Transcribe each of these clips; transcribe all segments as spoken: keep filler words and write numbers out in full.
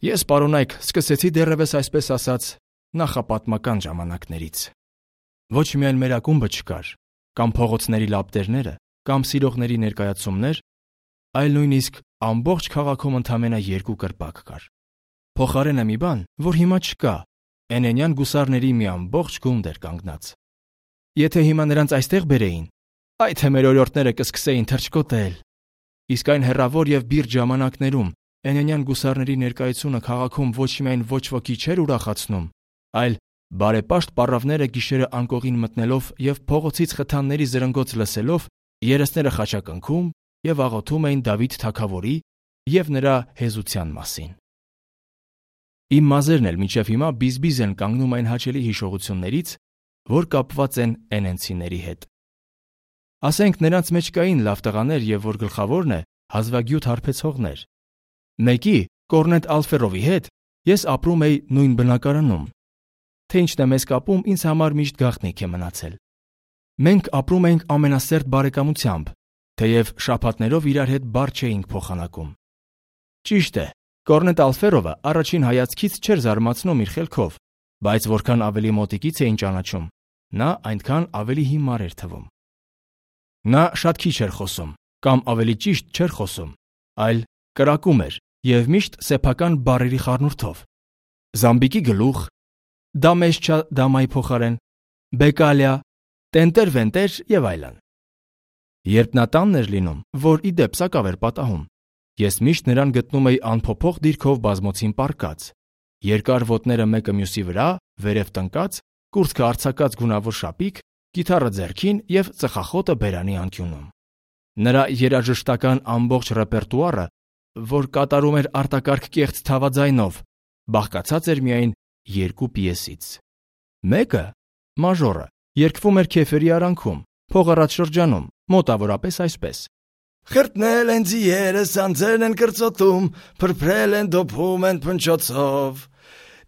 Ես, պարոնայք, սկսեցի դեռևս այսպես ասած նախապատմական ժամանակներից։ Ոչ միայն մեր ակումբը չկար, կամ փողոցների լապտերները, կամ սիրողների ներկայացումներ, այլ նույնիսկ ամբողջ քաղաքում ընդամենը երկու կրպակ կար։ Փոխարենը մի բան, որ հիմա չկա, Էնենյան գուսարների մի ամբողջ գունդ էր կանգնած։ Եթե հիմա նրանց այստեղ բերեին, այ թե մեր օրիորդները կսկսեին թռչկոտել։ Իսկ այն հեռավոր եւ բիրտ ժամանակներում Էնենյան գուսարների ներկայությունը քաղաքում ոչ միայն ոչ ոքի չէր ուրախացնում, այլ բարեպաշտ պառավները գիշերը անկողին մտնելով եւ փողոցից խթանների զրնգոց լսելով երեսները խաչակնքում եւ աղոթում էին Դավիթ թագավորի եւ նրա հեզության մասին։ Իմ մազերն էլ մինչև հիմա բիզբիզ են կանգնում այն հաճելի հիշողություններից, որ կապված են էնենցիների հետ։ Ասենք նրանց մեջ կային լավ տղաներ եւ որ գլխավորն է հազվագյուտ հարբեցողներ։ Մեկի Կորնետ Ալֆերովի հետ ես ապրում էի նույն բնակարանում։ Թե ինչն է մեզ կապում, ինձ համար միշտ գաղտնիք է մնացել։ Մենք ապրում էինք ամենասերտ բարեկամությամբ, թեև շաբաթներով իրար հետ բառ չէինք փոխանակում։ Ճիշտ է, Կորնետ Ալֆերովը առաջին հայացքից չէր զարմացնում իր խելքով, բայց որքան ավելի մոտիկից էին ճանաչում, նա այնքան ավելի հիմար էր թվում։ Նա շատ քիչ էր խոսում, կամ ավելի ճիշտ չէր խոսում, այլ կրակում էր եւ միշտ սեփական բառերի խառնուրդով։ Զամբիկի գլուխ, դամեշչա դամայի փոխարեն, բեկալիա, տենտեր-վենտեր եւ այլն։ Երբ նա տանն էր լինում, որ ի դեպ սակավ էր պատահում, ես միշտ նրան գտնում էի անփոփոխ դիրքով բազմոցին պառկած, երկար ոտները մեկը մյուսի վրա, վերև տնկած, կուրծքը արձակած գունավոր շապիկ, գիտարը ձեռքին եւ ծխախոտը բերանի անկյունում։ Նրա երաժշտական ամբողջ ռեպերտուարը, որ կատարում էր արտակարգ կեղծ թավաձայնով, բաղկացած էր միայն երկու պիեսից։ Մեկը, մաժորը, երգվում էր Քեֆերի արանքում, փողառատ շրջանում, մոտավորապես այսպես. Խրտնել են ձիերը, սանձերն են կրծոտում, փրփրել են դոփում են փնչոցով։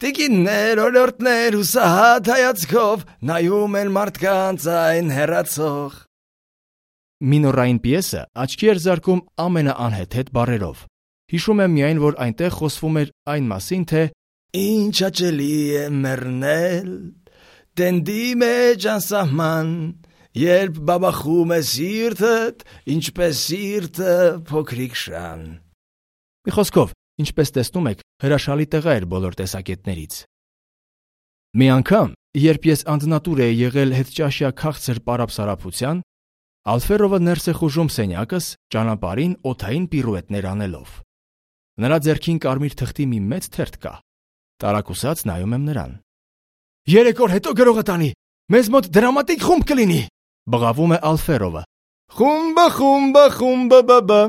Տիկիններ, օրիորդներ, հուսահատ հայացքով նայում են մարդկանց այն հեռացող։ Մինորային պիեսը աչքի էր զարկում ամենաանհեթեթ բառերով։ Հիշում եմ միայն, որ այնտեղ խոսվում էր այն մասին, թե ինչ հաճելի է մեռնել, տենդի մեջ անսահման, երբ բաբախում է սիրտդ, ինչպես սիրտը փոքրիկ շան։ Մի խոսքով, ինչպես տեսնում եք, հրաշալի տղա էր բոլոր տեսակետներից։ Մի անգամ, երբ ես անձնատուր էի եղել հետճաշյա քաղցր պարապսարապության, Ալֆերովը ներս է խուժում սենյակս ճանապարհին օդային պիրուետներ անելով։ Նրա ձեռքին կարմիր թղթի մի մեծ թերթ կա։ Տարակուսած նայում եմ նրան։ Երեք օր հետո գրողը տանի, մեզ մոտ դրամատիկ խումբ կլինի, բղավում է Ալֆերովը։ Խումբը, խումբը, խումբը, բաբա։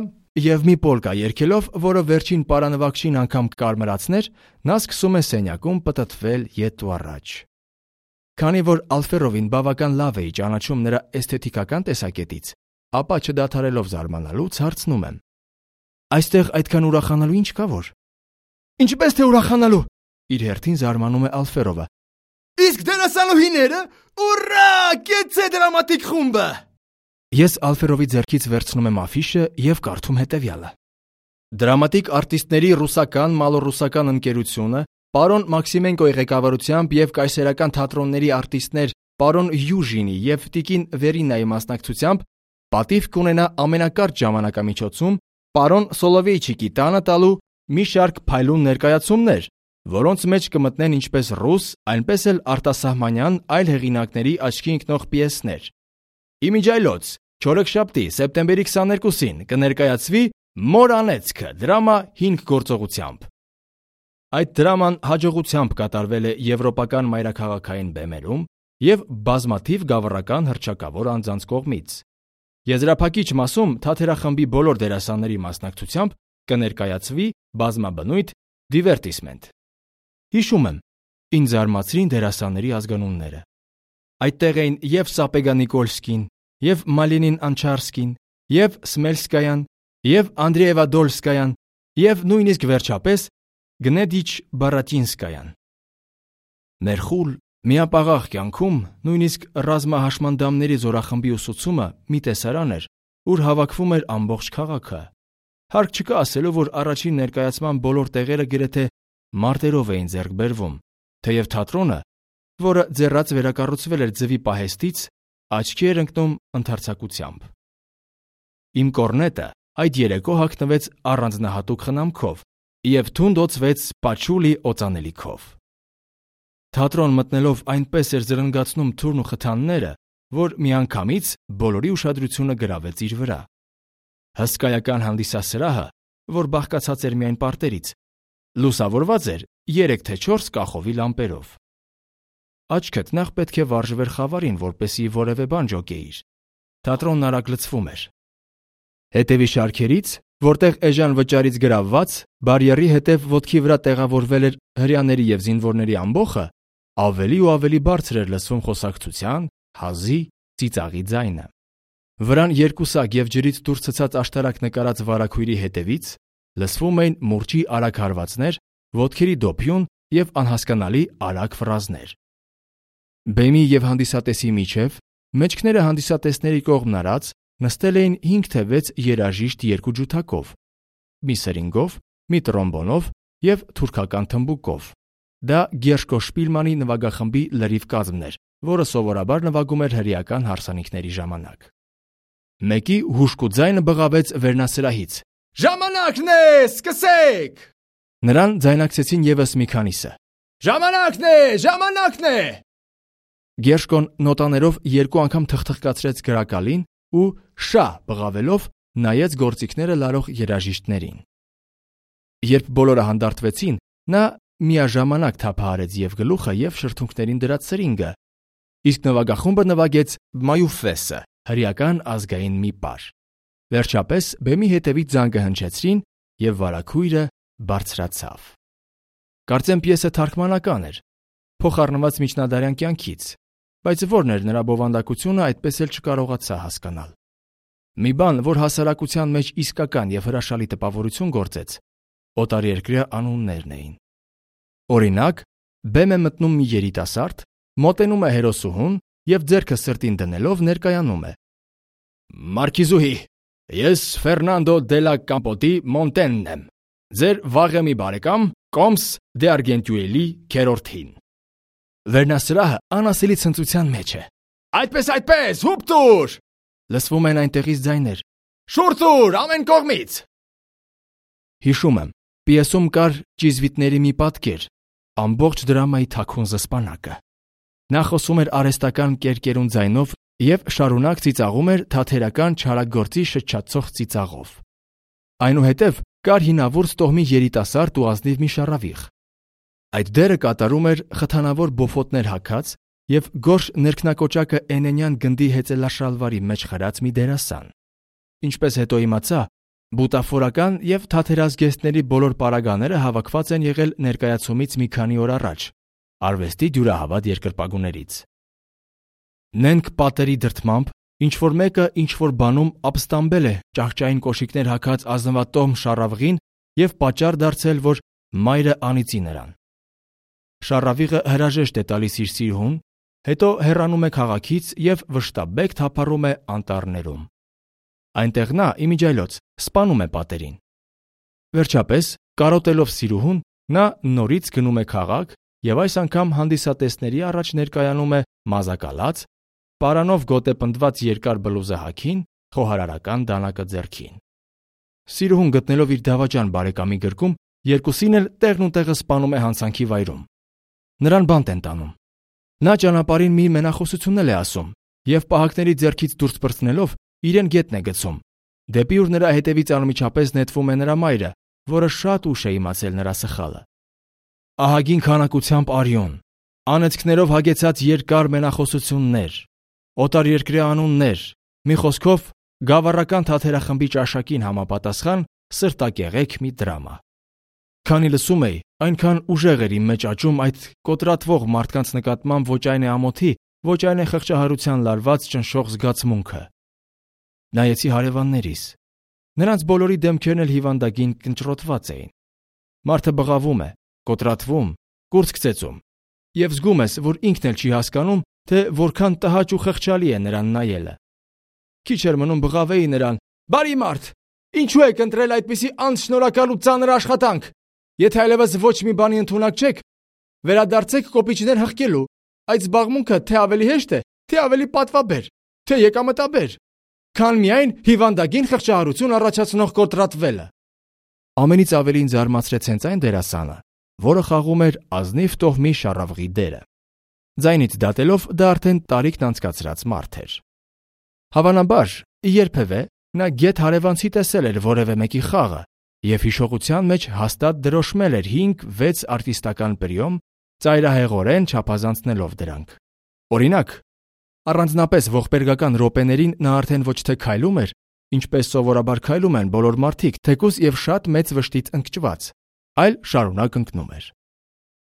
Եվ մի պոլկա երգելով, որը վերջին պարանվակշին անգամ կարմրացներ, նա սկսում է սենյակում պտտվել ետ ու առաջ։ Քանի որ Ալֆերովին բավական լավ էի ճանաչում նրա էսթետիկական տեսակետից, ապա չդադարելով զարմանալուց հարցնում եմ. Այստեղ այդքան ուրախանալու ինչ կա որ։ Ինչպես թե ուրախանալու, իր հերթին զարմանում է Ալֆերովը։ Իսկ դերասանուհիները, ուռա, կեցե դրամատիկ խումբը։ Ես Ալֆերովի ձեռքից վերցնում եմ աֆիշը եւ կարդում հետեւյալը. Դրամատիկ արտիստների ռուսական մալոռուսական ընկերությունը պարոն Մաքսիմենկոյի ղեկավարությամբ եւ կայսերական թատրոնների արտիստներ պարոն Յուժինի եւ տիկին Վերինայի մասնակցությամբ պատիվ կունենա ամենակարճ ժամանակամիջոցում պարոն Սոլովեյչիկի տանը տալու մի շարք փայլուն ներկայացումներ, որոնց մեջ կմտնեն ինչպես ռուս, այնպես էլ արտասահմանյան այլ հեղինակների աչքի ընկնող պիեսներ։ Իմիջայլոց չորեքշաբթի սեպտեմբերի քսաներկուսին կներկայացվի Մորանեցքը դրամա հինգ գործողությամբ։ Այդ դրաման հաջողությամբ կատարվել է եվրոպական մայրաքաղաքային բեմերում եւ բազմաթիվ գավառական հռչակավոր անձանց կողմից։ Եզրափակիչ մասում թատերախմբի բոլոր դերասանների մասնակցությամբ կներկայացվի բազմաբնույթ դիվերտիսմենտ։ Հիշում եմ, ինձ զարմացրին դերասանների ազգանունները։ Այդտեղ էին եւ Սապեգա Նիկոլսկին, եւ Մալինին Անչարսկին, եւ Սմելսկայան, եւ Անդրեևա Դոլսկայան, եւ նույնիսկ վերջապես Գնեդիչ Բարատինսկայան։ Մեր խուլ միապաղաղ կյանքում նույնիսկ ռազմահաշմանդամների զորախմբի ուսուցումը մի տեսարան էր, ուր հավաքվում էր ամբողջ քաղաքը։ Հարկ չկա ասելու, որ առաջին ներկայացման բոլոր տեղերը գրեթե մարտերով էին ձեռք բերվում, թեև թատրոնը, որը ձեռած վերակառուցվել էր ձվի պահեստից, աչքի էր ընկնում ընդարձակությամբ։ Իմ կորնետը այդ երեկո հագնվեց առանձնահատուկ խնամքով և թունդ օծվեց պաչուլի օծանելիքով։ Թատրոն մտնելով այնպես էր զրնգացնում թուրն ու խթանները, որ միանգամից բոլորի ուշադրությունը գրավեց իր վրա։ Հսկայական հանդիսասրահը, որ բաղկացած էր միայն պարտերից, լուսավորված էր երեք թե չորս կախովի լամպերով։ Աչքդ նախ պետք է վարժվեր խավարին, որպեսզի որևէ բան ջոկեիր։ Թատրոնն արագ լցվում էր։ Հետևի շարքերից, որտեղ էժան վճարից գրավված, բարիերի հետև ոտքի վրա տեղավորվել էր հրեաների և զինվորների ամբոխը, ավելի ու ավելի բարձր էր լսվում խոսակցության, հազի, ծիծաղի ձայնը։ Վրան երկուսակ և ջրից դուրս ցցած աշտարակ նկարած վարագույրի հետևից լսվում էին մուրճի արագ հարվածներ, ոտքերի դոփյուն և անհասկանալի արագ ֆրազներ։ Բեմի և հանդիսատեսի միջև, մեջքները հանդիսատեսների կողմն արած, նստել էին հինգ թե վեց երաժիշտ երկու ջութակով, մի սրինգով, մի տրոմբոնով և թուրքական թմբուկով։ Դա Գերշկո Շպիլմանի նվագախմբի լրիվ կազմն էր, որը սովորաբար նվագում էր հրեական հարսանիքների ժամանակ։ Մեկի հուժկու ձայնը բղավեց վերնասրահից. «Ժամանակն է, սկսեք»։ Նրան ձայնակցեցին ևս մի քանիսը. «Ժամանակն է, ժամանակն է»։ Գերշկոն նոտաներով երկու անգամ թխթխկացրեց գրակալին ու շա բղավելով նայեց գործիքները լարող երաժիշտներին։ Երբ բոլորը հանդարտվեցին, նա միաժամանակ թափահարեց և գլուխը, և շրթունքներին դրած սրինգը, իսկ նվագախումբը նվագեց Մայուֆեսը, հրեական ազգային մի պար։ Վերջապես բեմի հետևից զանգը հնչեցրին, և վարագույրը բարձրացավ։ Կարծեմ պիեսը թարգմանական էր, փոխառնված միջնադարյան կյանքից, բայց որն էր նրա բովանդակությունը, այդպես էլ չկարողացա հասկանալ։ Մի բան, որ հասարակության մեջ իսկական և հրաշալի տպավորություն գործեց, օտարերկրյա անուններն էին։ Օրինակ, բեմ է մտնում մի երիտասարդ, մոտենում է հերոսուհուն և ձեռքը սրտին դնելով ներկայանում է. «Մարքիզուհի, ես Ֆերնանդո դե լա Կամպոտի Մոնտենն եմ, ձեր վաղեմի բարեկամ Կոմս դե Արգենտյուելի քերորդին»։ Վերնասրահը անասելի ցնծության մեջ է։ «Այդպես, այդպես, հուպ տուր»։ Լսվում են այնտեղից ձայներ. «Շուռ տուր, ամեն կողմից»։ Հիշում եմ, պիեսում կար ճիզվիտների մի պատկեր, ամբողջ դրամայի թաքուն զսպանակը։ Նա խոսում էր արհեստական կերկերուն ձայնով և շարունակ ծիծաղում էր թաթերական չարագործի շչացող ծիծաղով։ Այնուհետև կար հինավուրց տոհմի երիտասարդ ու ազնիվ մի շառավիղ։ Այդ դերը կատարում էր խթանավոր բոֆոտներ հագած և գորշ ներքնակոճակը էնենյան գնդի հեծելաշալվարի մեջ խրած մի դերասան։ Ինչպես հետո իմացա, բուտաֆորական և թատերազգեստների բոլոր պարագաները հավաքված են եղել ներկայացումից մի քանի օր առաջ, արվեստի դյուրահավատ երկրպագուներից։ Նենգ պատերի դրդմամբ ինչ-որ մեկը ինչ-որ բանում ապստամբել է ճահճային կոշիկներ հագած ազնվատոհմ շառավղին և պատճառ դարձել, որ մայրը անիծի նրան։ Շառավիղը հրաժեշտ է տալիս իր սիրուհուն, հետո հեռանում է քաղաքից և վշտաբեկ թափառում է անտառներում։ Այնտեղ նա, իմիջիայլոց, սպանում է պատերին։ Վերջապես, կարոտելով սիրուհուն, նա նորից գնում է քաղաք և այս անգամ հանդիսատեսների առաջ ներկայանում է մազակալած, պարանով գոտեպնդված երկար բլուզը հագին, խոհարարական դանակը ձեռքին։ Սիրուհուն գտնելով իր դավաճան բարեկամի գրկում, երկուսին էլ տեղն ու տեղը սպանում է հանցանքի վայրում։ Նրան բանտ են տանում։ Նա ճանապարհին մի մենախոսություն է ասում և պահակների ձեռքից դուրս պրծնելով իրեն գետն է գցում, դեպի ուր նրա հետևից անմիջապես նետվում է նրա մայրը, որը շատ ուշ է իմացել նրա սխալը։ Ահագին քանակությամբ արյուն, անեծքներով հագեցած երկար մենախոսություններ, օտարերկրյա անուններ, մի խոսքով, գավառական թատերախմբի ճաշակին համապատասխան սրտակեղեք մի դրամա։ Քանի լսում էի, այնքան ուժեղ էր իմ մեջ աճում այդ կոտրատվող մարդկանց նկատմամբ ոչ այն է ամոթի, ոչ այն է խղճահարության լարված ճնշող զգացմունքը։ Նայեցի հարևաններիս։ Նրանց բոլորի դեմքերն էլ հիվանդագին կնճռոտված էին։ Մարդը բղավում է, կոտրատվում, կուրծք ծեծում, և զգում ես, որ ինքն էլ չի հասկանում, թե որքան տհաճ ու խղճալի է նրան նայելը։ Քիչ էր մնում բղավեի նրան. «Բարի մարդ, ինչու եք ընտրել այդպիսի անշնորհակալ ու ծանր աշխատանք։ Եթե այլևս ոչ մի բանի ընդունակ չեք, վերադարձեք կոպիչներ հղկելու։ Այդ զբաղմունքը թե ավելի հեշտ է, թե ավելի պատվաբեր, թե եկամտաբեր, քան միայն հիվանդագին խղճահարություն առաջացնող կոտրատվելը։ Ամենից ավելի ինձ զարմացրեց հենց այն դերասանը, որը խաղում էր ազնիվ տոհմի շառավղի դերը։ Ձայնից դատելով դա արդեն տարիքն անցկացրած մարդ էր։ Հավանաբար, երբևէ նա գեթ հարևանցի տեսել էր որևէ մեկի խաղը և հիշողության մեջ հաստատ դրոշմել էր հինգ-վեց արտիստական պրիոմ, ծայրահեղորեն չափազանցնելով դրանք։ Օրինակ, առանձնապես ողբերգական րոպեներին նա արդեն ոչ թե քայլում էր, ինչպես սովորաբար քայլում են բոլոր մարդիկ, թեկուզ և շատ մեծ վշտից ընկճված, այլ շարունակ ընկնում էր։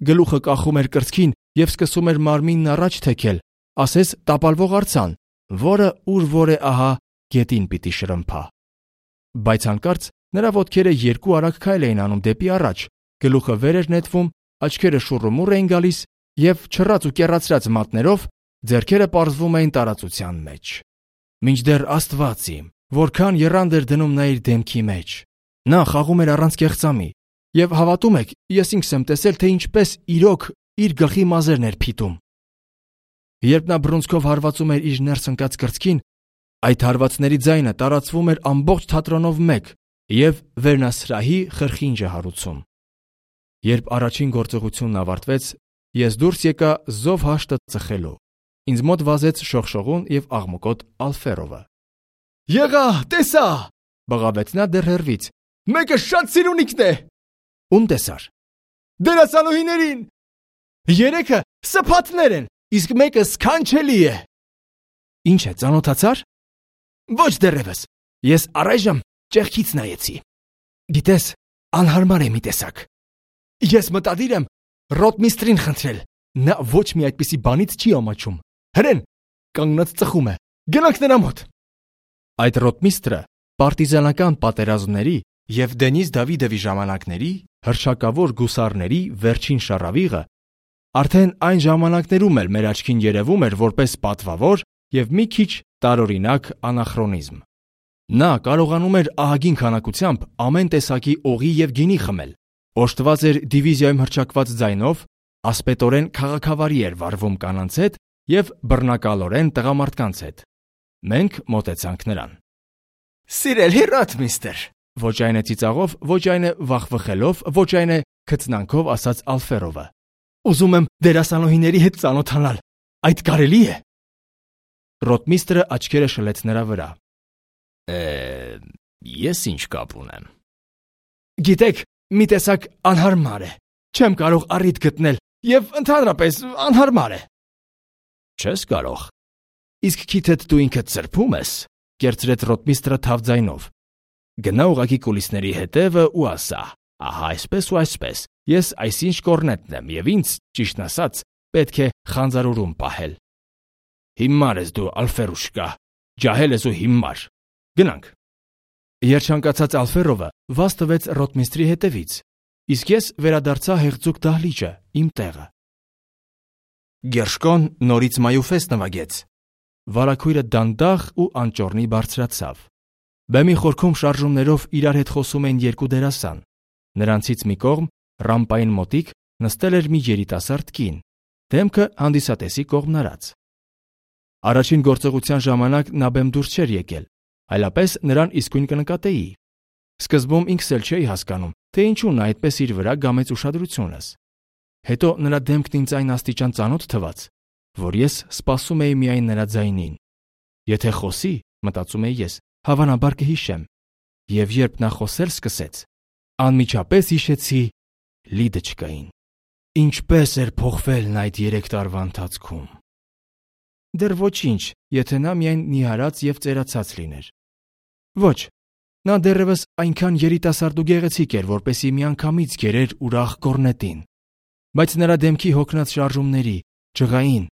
Գլուխը կախում էր կրծքին և սկսում էր մարմինն առաջ թեքել, ասես տապալվող արձան, որը ուր-որ է ահա գետին պիտի շրմփա։ Բայց հանկարծ նրա ոտքերը երկու արագ քայլ էին անում դեպի առաջ, գլուխը վեր էր նետվում, աչքերը շուռումուռ էին գալիս և չռած ու կեռացրած մատներով ձեռքերը պարզվում էին տարածության մեջ։ Մինչդեռ Աստված իմ, որքան եռանդ էր դնում նա իր դեմքի մեջ։ Նա խաղում էր առանց կեղծամի, և հավատում եք, ես ինքս եմ տեսել, թե ինչպես իրոք իր գլխի մազերն էր փիտում։ Երբ նա բռունցքով հարվածում էր իր ներս ընկած կրծքին, այդ հարվածների ձայնը տարածվում էր ամբողջ թատրոնով մեկ և վերնասրահի խրխինջը հարուցում։ Երբ առաջին գործողությունն ավարտվեց, ես դուրս եկա զով հաշտը ծխելու։ Ինձ մոտ վազեց շողշողուն և աղմկոտ Ալֆերովը։ «Եղա, տեսա», բղավեց նա դեռ հեռվից։ «Մեկը շատ սիրունիկն է»։ Ում տեսար։ «Դերասանուհիներին։ Երեքը սփաթներ են, իսկ մեկը սքանչելի է»։ Ինչ է, ծանոթացար։ Ոչ դեռևս։ Ես առայժմ ճեղքից նայեցի։ Գիտես, անհարմար է մի տեսակ։ Ես մտադիր եմ ռոտմիստրին խնդրել։ Նա ոչ մի այդպիսի բանից չի ամաչում։ Հրեն, կանգնած ծխում է։ Գնանք նրա մոտ։ Այդ ռոտմիստրը պարտիզանական պատերազմների և Դենիս Դավիդովի ժամանակների հռչակավոր գուսարների վերջին շառավիղը արդեն այն ժամանակներում էլ մեր աչքին երևում էր որպես պատվավոր և մի քիչ տարօրինակ անախրոնիզմ։ Նա կարողանում էր ահագին քանակությամբ ամեն տեսակի օղի և գինի խմել, օժտված էր դիվիզիայում հռչակված ձայնով, ասպետորեն քաղաքավարի էր վարվում կանանց հետ և բռնակալորեն տղամարդկանց հետ։ Մենք մոտեցանք նրան։ «Սիրելի ռոտմիստր», ոչ այն է ծիծաղով, ոչ այն է վախվխելով, ոչ այն է քծնանքով ասաց Ալֆերովը։ «Ուզում եմ դերասանուհիների հետ ծանոթանալ։ Այդ կարելի է»։ Ռոտմիստրը աչքերը շլեց նրա վրա։ Է, ես ինչ կապ ունեմ։ Գիտեք, մի տեսակ անհարմար է։ Չեմ կարող առիթ գտնել և ընդհանրապես անհարմար է։ Չես կարող։ Իսկ քիթդ դու ինքդ սրբում ես, կերծրեց ռոտմիստրը թավ ձայնով։ Գնա ուղղակի կուլիսների հետևը ու ասա. ահա այսպես ու այսպես, ես այսինչ կորնետն եմ և ինձ, ճիշտն ասած, պետք է խանձարուրում պահել։ Հիմար ես դու, Ալֆերուշկա, ջահել ես ու հիմար։ Գնանք։ Երջանկացած Ալֆերովը վազ տվեց ռոտմիստրի հետևից, իսկ ես վերադարձա հեղձուկ դահլիճը, իմ տեղը։ Գերշկոն նորից մայուֆես նվագեց։ Վարագույրը դանդաղ ու անճոռնի բարձրացավ։ Բեմի խորքում շարժումներով իրար հետ խոսում էին երկու դերասան։ Նրանցից մի կողմ, ռամպային մոտիկ, նստել էր մի երիտասարդ կին, դեմքը հանդիսատեսի կողմն արած։ Առաջին գործողության ժամանակ նա բեմ դուրս չէր եկել, այլապես նրան իսկույն կնկատեի։ Սկզբում ինքս էլ չէի հասկանում, թե ինչու նա այդպես իր վրա գամեց ուշադրությունս։ Հետո նրա դեմքն ինձ այն աստիճան ծանոթ թվաց, որ ես սպասում էի միայն նրա ձայնին։ Եթե խոսի, մտածում էի ես, հավանաբար կհիշեմ։ Եվ երբ նա խոսել սկսեց, անմիջապես հիշեցի Լիդոչկային։ Ինչպես էր փոխվել նա այդ երեք տարվա ընթացքում։ Դեռ ոչինչ, եթե նա միայն նիհարած և ծերացած լիներ։ Ոչ, նա դեռևս այնքան երիտասարդ ու գեղեցիկ էր, որպեսզի միանգամից գերեր ուրախ կորնետին։ Բայց նրա դեմքի հոգնած շարժումների, ջղային,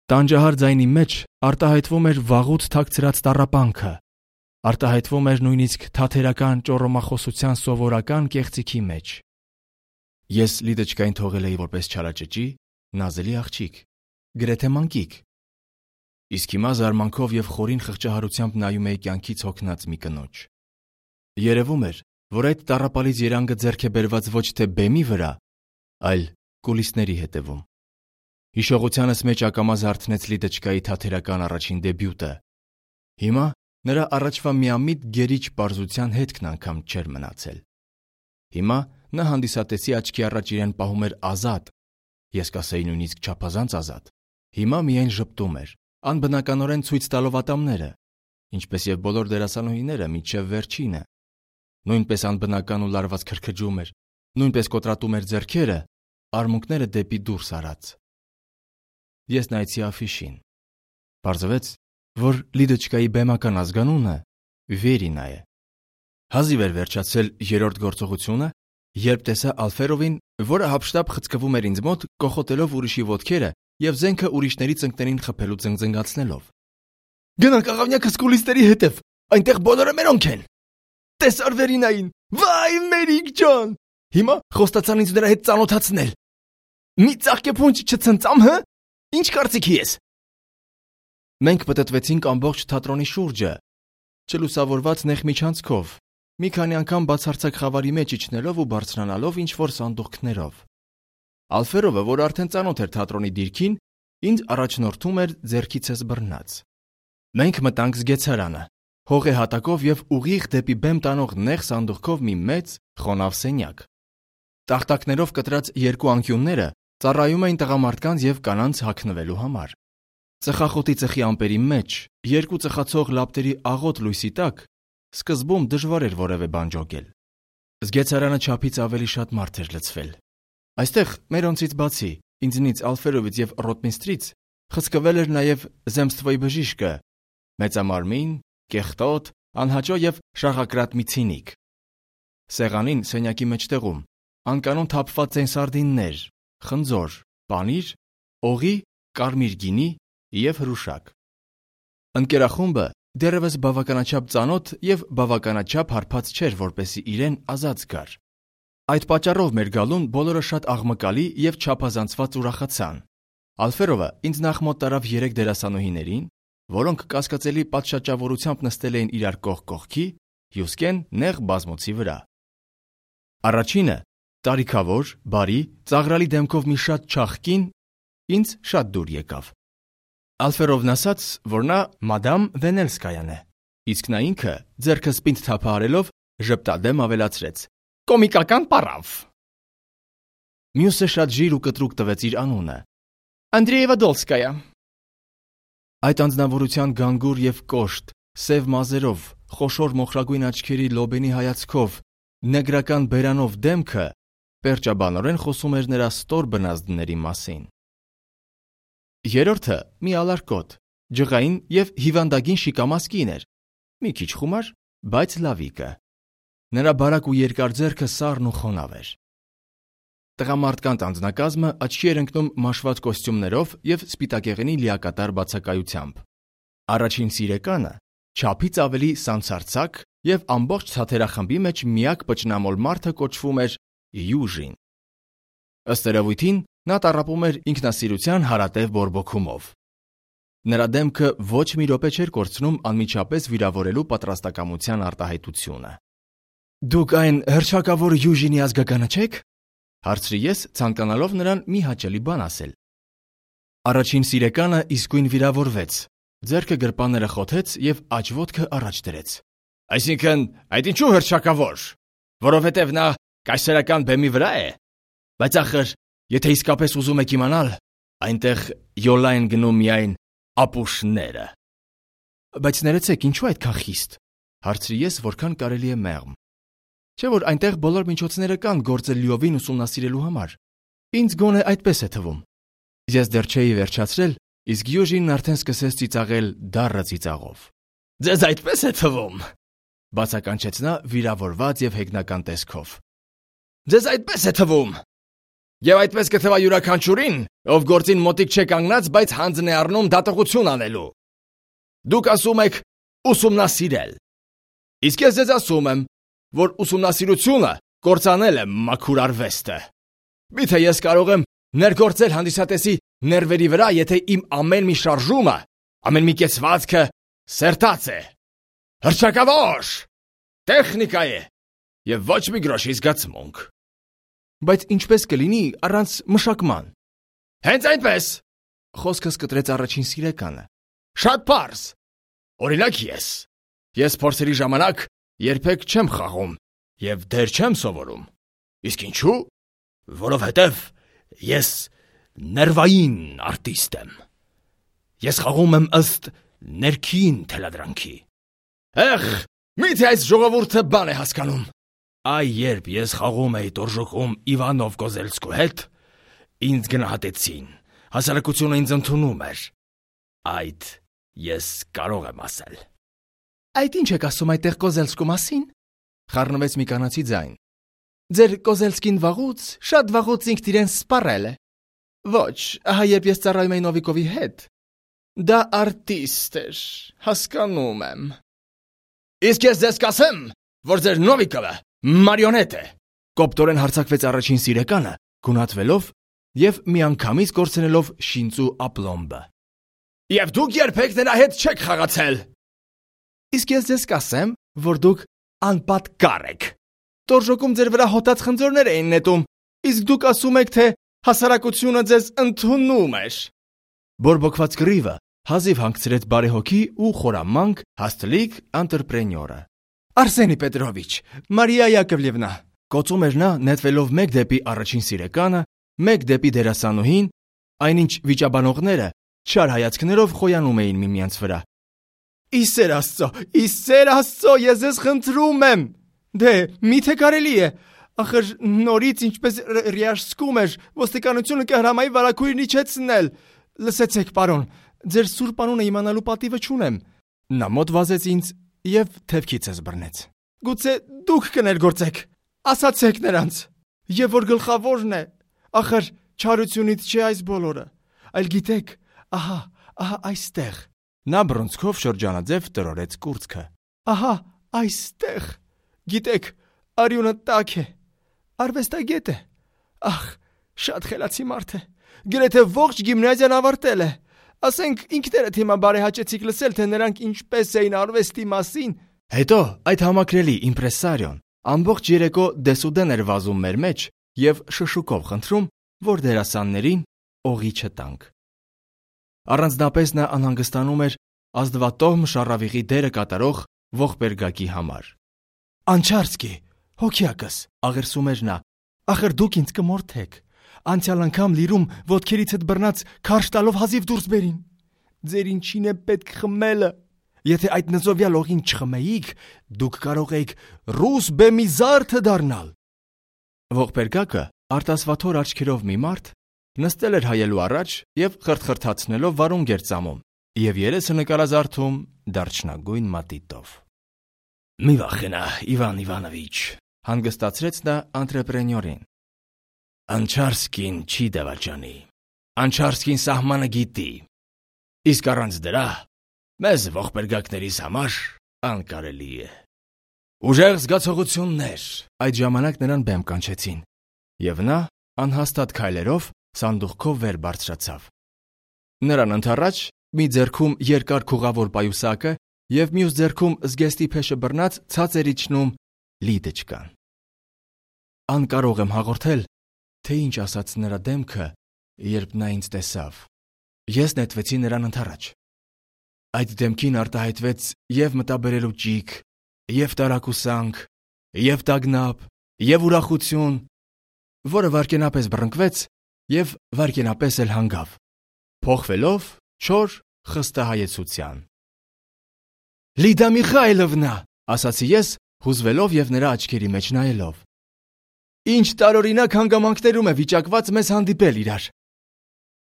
տանջահար ձայնի մեջ արտահայտվում էր վաղուց թաքցրած տառապանքը, արտահայտվում էր նույնիսկ թաթերական ճոռոմախոսության սովորական կեղծիքի մեջ։ Ես Լիդոչկային թողել էի որպես չարաճճի, նազելի աղջիկ, գրեթե մանկիկ։ Իսկ հիմա զարմանքով և խորին խղճահարությամբ նայում էի կյանքից հոգնած մի կնոջ։ Երևում էր, որ այդ տառապալից երանգը ձեռք է բերված ոչ թե բեմի վրա, այլ կուլիսների հետևում։ Հիշողությանս մեջ ակամա զարթնեց Լիդոչկայի թատերական առաջին դեբյուտը։ Հիմա նրա առաջվա միամիտ գերիչ պարզության հետքն անգամ չէր մնացել։ Հիմա նա հանդիսատեսի աչքի առաջ իրեն պահում էր ազատ, ես կասեի նույնիսկ չափազանց ազատ։ Հիմա միայն ժպտում էր, անբնականորեն ցույց տալով ատամները, ինչպես եւ բոլոր դերասանուհիները մինչեւ վերջինը։ Նույնպես անբնական ու լարված քրքջում էր, նույնպես կոտրատում էր ձեռքերը, արմունկները դեպի դուրս արած։ Ես նայեցի աֆիշին։ Պարզվեց, որ Լիդոչկայի բեմական ազգանունը Վերինա է։ Հազիվ էր վերջացել երրորդ գործողությունը, երբ տեսա Ալֆերովին, որը հապշտապ խցկվում էր ինձ մոտ, կոխոտելով ուրիշի ոտքերը եւ զենքը ուրիշների ծնկներին խփելու զնգզնգացնելով։ Գնանք աղավնյակս կուլիսների հետև, այնտեղ բոլորը մերոնք են։ Տեսար Վերինային, վայ Մերիկ ջան։ Հիմա խոստացան ինձ նրա հետ ծանոթացնել։ Մի ծաղկե փունջ չցնծամ, հը։ Ինչ կարծիքի ես։ Մենք պտտվեցինք ամբողջ թատրոնի շուրջը, չլուսավորված նեղ միջանցքով, մի քանի անգամ բացարձակ խավարի մեջ իջնելով ու բարձրանալով ինչ-որ սանդուղքներով։ Ալֆերովը, որ արդեն ծանոթ էր թատրոնի դիրքին, ինձ առաջնորդում էր ձեռքիցս բռնած։ Մենք մտանք զգեցարանը, հողե հատակով եւ ուղիղ դեպի բեմ տանող նեղ սանդուղքով մի մեծ խոնավ սենյակ։ Տախտակներով կտրած երկու անկյունները ծառայում էին տղամարդկանց եւ կանանց հագնվելու համար։ Ծխախոտի ծխի ամպերի մեջ, երկու ծխացող լապտերի աղոտ լույսի տակ, սկզբում դժվար էր որևէ բան ջոգել։ Զգեցարանը չափից ավելի շատ մարդ էր լցվել։ Այստեղ մերոնցից բացի, ինձնից, Ալֆերովից եւ Ռոտմիստրից խցկվել էր նաեւ Զեմստվոյի բժիշկը, մեծամարմին, կեղտոտ, անհաճո եւ շաղակրատ մի ցինիկ։ Սեղանին սենյակի մեջտեղում անկանոն թափված են սարդիններ, խնձոր, պանիր, օղի, կարմիր գինի եւ հրուշակ։ Ընկերախումբը դեռևս բավականաչափ ծանոթ եւ բավականաչափ հարբած չէր, որպեսզի իրեն ազատ զգար։ Այդ պատճառով մեր գալուն բոլորը շատ աղմկալի եւ չափազանցված ուրախացան։ Ալֆերովը ինձ նախ մոտ տարավ երեք դերասանուհիներին, որոնք կասկածելի պատշաճավորությամբ նստել էին իրար կողք կողքի, հյուսկեն նեղ բազմոցի վրա։ Առաջինը, տարիքավոր, բարի, ծաղրալի դեմքով մի շատ չաղկին, ինձ շատ դուր եկավ։ Ալֆերովն ասաց, որ նա մադամ Վենելսկայան է, իսկ նա ինքը, ձեռքը սպինդ թափահարելով, ժպտադեմ ավելացրեց. Կոմիկական պարավ։ Մյուսը շատ ժիր ու կտրուկ տվեց իր անունը. Անդրեևա Դոլսկայա։ Այդ անձնավորության գանգուր եւ կոշտ, սև մազերով, խոշոր մոխրագույն աչքերի լոբենի հայացքով, նեգրական բերանով դեմքը պերճաբանորեն խոսում էր նրա ստոր բնազդների մասին։ Երրորդը մի ալարկոտ, ջղային եւ հիվանդագին շիկամասկին էր, մի քիչ խումար, բայց լավիկը։ Նրա բարակ ու երկար ձեռքը սառն ու խոնավ էր։ Տղամարդկանց անձնակազմը աչքի էր ընկնում մաշված կոստյումներով եւ սպիտակեղենի լիակատար բացակայությամբ։ Առաջին սիրեկանը չափից ավելի սանցարցակ եւ ամբողջ թատերախմբի մեջ միակ պճնամոլ մարդը կոչվում էր Յուժին։ Ըստ երևույթին նա տառապում էր ինքնասիրության հարատև բորբոքումով։ Նրա դեմքը ոչ մի րոպե չէր կորցնում անմիջապես վիրավորելու պատրաստակամության արտահայտությունը։ Դուք այն հռչակավոր Յուժինի ազգականը չեք։ Հարցրի ես, ցանկանալով նրան մի հաճելի բան ասել։ Առաջին սիրեկանը իսկույն վիրավորվեց, ձեռքը գրպանները խոթեց եւ աջ ոտքը առաջ դրեց։ Այսինքն, այդ ինչու հռչակավոր, որովհետեւ նա կայսերական բեմի վրա է։ Բայց ախր, եթե իսկապես ուզում եք իմանալ, այնտեղ յոլա են գնում միայն ապուշները։ Բայց ներեցեք, ինչու այդքան խիստ։ Հարցրի ես, որքան կարելի է մեղմ։ Չէ՞ որ այնտեղ բոլոր միջոցները կան գործը լիովին ուսումնասիրելու համար։ Ինձ գոնե այդպես է թվում։ Ես դեռ չէի վերջացրել, իսկ Յուժինն արդեն սկսեց ծիծաղել դառը ծիծաղով։ Ձեզ այդպես է թվում, բացականչեց նա վիրավորված եւ հեգնական տեսքով։ Ձեզ այդպես է թվում։ Եվ այդպես կթվա յուրաքանչյուրին, ով գործին մոտիկ չէ կանգնած, բայց հանձն է առնում դատողություն անելու։ Դուք ասում եք ուսումնասիրել։ Իսկ ես ձեզ ասում եմ, որ ուսումնասիրությունը կործանել է մաքուր արվեստը։ Միթե ես կարող եմ ներգործել հանդիսատեսի ներվերի վրա, եթե իմ ամեն մի շարժումը, ամեն մի կեցվածքը սերտած է։ Հռչակավոր տեխնիկա է։ եւ ոչ մի գրոշի զգացմունք։ Բայց ինչպես կլինի առանց մշակման։ Հենց այնպես, խոսքս կտրեց առաջին սիրեկանը։ Շատ պարզ։ Օրինակ ես։ Ես փորձերի ժամանակ երբեք չեմ խաղում եւ դեր չեմ սովորում։ Իսկ ինչու՞։ Որովհետեւ ես ներվային արտիստ եմ։ Ես խաղում եմ ըստ ներքին թելադրանքի։ Եղ, միթե այս ժողովուրդը բան է հասկանում։ Այ երբ ես խաղում էի տորժոկում Իվանով Կոզելսկու հետ, ինձ գնահատեցին, հասարակությունը ինձ ընդունում էր։ Այդ ես կարող եմ ասել։ Այդ ինչ եք ասում այդտեղ Կոզելսկու մասին։ Խառնվեց մի կանացի ձայն։ Ձեր Կոզելսկին վաղուց, շատ վաղուց ինքն իրեն սպառել է։ Ոչ, ահա երբ ես ծառայում էի Նովիկովի հետ, դա արտիստ էր, հասկանում եմ։ Իսկ ես ձեզ կասեմ, որ ձեր Նովիկովը մարիոնետ է։ Կոպտորեն հարձակվեց առաջին սիրեկանը, գունատվելով եւ միանգամից կորցնելով շինծու ապլոմբը։ Եվ դուք երբեք նրա հետ չեք խաղացել։ Իսկ ես ձեզ կասեմ, որ դուք անպատկառ եք։ Տորժոկում ձեր վրա հոտած խնձորներ էին նետում, իսկ դուք ասում եք, թե հասարակությունը ձեզ ընդունում էր։ Բորբոքված կռիվը հազիվ հանգցրեց բարեհոգի ու խորամանկ հաստլիկ անտրեպրենյորը։ Արսենի Պետրովիչ, Մարիա Յակովլևնա, կոծում էր նա, նետվելով մեկ դեպի առաջին սիրեկանը, մեկ դեպի դերասանուհին, այնինչ վիճաբանողները չար հայացքներով խոյանում էին միմյանց վրա։ Իսեր Աստծո, իսեր Աստծո, ես ձեզ խնդրում եմ։ Դե, միթե կարելի է։ Ախր նորից ինչպես Ռիաշսկում էր, ոստիկանությունը կհրամայի վարագույրն իջեցնել։ Լսեցեք, պարոն, ձեր սուրբ անունը իմանալու պատիվը չունեմ։ Նա մոտ վազեց ինձ եւ թևքիցս բռնեց։ Գուցե դուք կներգործեք։ Ասացեք նրանց։ Եվ որ գլխավորն է, ախր չարությունից չէ այս բոլորը, այլ գիտեք, ահա, ահա այստեղ։ Նա բռունցքով շրջանաձև տրորեց կուրծքը։ Ահա այստեղ։ Գիտեք, արյունը տաք է, արվեստագետ է։ Ախ, շատ խելացի մարդ է։ Գրեթե ողջ գիմնազիան ավարտել է։ Ասենք ինքներդ հիմա բարեհաճեցիք լսել, թե նրանք ինչպես էին արվեստի մասին։ Հետո այդ համակրելի իմպրեսարիոն ամբողջ երեկո դեսուդեն էր վազում մեր մեջ եւ շշուկով խնդրում, որ դերասաններին օղի չտանք։ Առանձնապես նա անհանգստանում էր ազդվատոհ շառավիղի դերը կատարող ողբերգակի համար։ Անչարսկի, հոգիակս, աղերսում էր նա, ախր դուք ինձ կմորթեք։ Անցյալ անգամ լիրում ոտքերիցդ բռնած քարշ տալով հազիվ դուրս բերին։ Ձեր ինչին է պետք խմելը։ Եթե այդ նզովյալ օղին չխմեիք, դուք կարող եք ռուս բեմի զարդը դառնալ։ Ողբերգակը արտասվաթոր աչքերով մի մարդ նստել էր հայելու առաջ եւ խրթխրթացնելով վարունգ էր ծամում եւ երեսը նկարազարդում դարչնագույն մատիտով։ Մի վախենա, Իվան Իվանովիչ, հանգստացրեց նա անտրեպրենյորին։ Անչարսկին չի դավաճանի։ Անչարսկին սահմանը գիտի։ Իսկ առանց դրա մեզ ողբերգակներիս համար անկարելի է։ Ուժեղ զգացողություններ այդ ժամանակ նրան բեմ կանչեցին, եւ նա անհաստատ քայլերով սանդուղքով վեր բարձրացավ։ Նրան ընդառաջ մի ձեռքում երկար քուղավոր պայուսակը եւ մյուս ձեռքում զգեստի փեշը բռնած ցած էր իջնում լիդեչկան։ Անկարող եմ հաղորդել, թե ինչ ասաց նրա դեմքը, երբ նա ինձ տեսավ։ Ես նետվեցի նրան ընդառաջ։ Այդ դեմքին արտահայտվեց եւ մտաբերելու ճիգ, եւ տարակուսանք, եւ տագնապ, եւ ուրախություն, որը վարկենապես բռնկվեց եւ վարկենապես էլ հանգավ, փոխվելով չոր խստահայեցության։ Լիդա Միխայլովնա, ասացի ես, հուզվելով եւ նրա աչքերի մեջ նայելով։ Ինչ տարօրինակ հանգամանքներում է վիճակված մեզ հանդիպել իրար։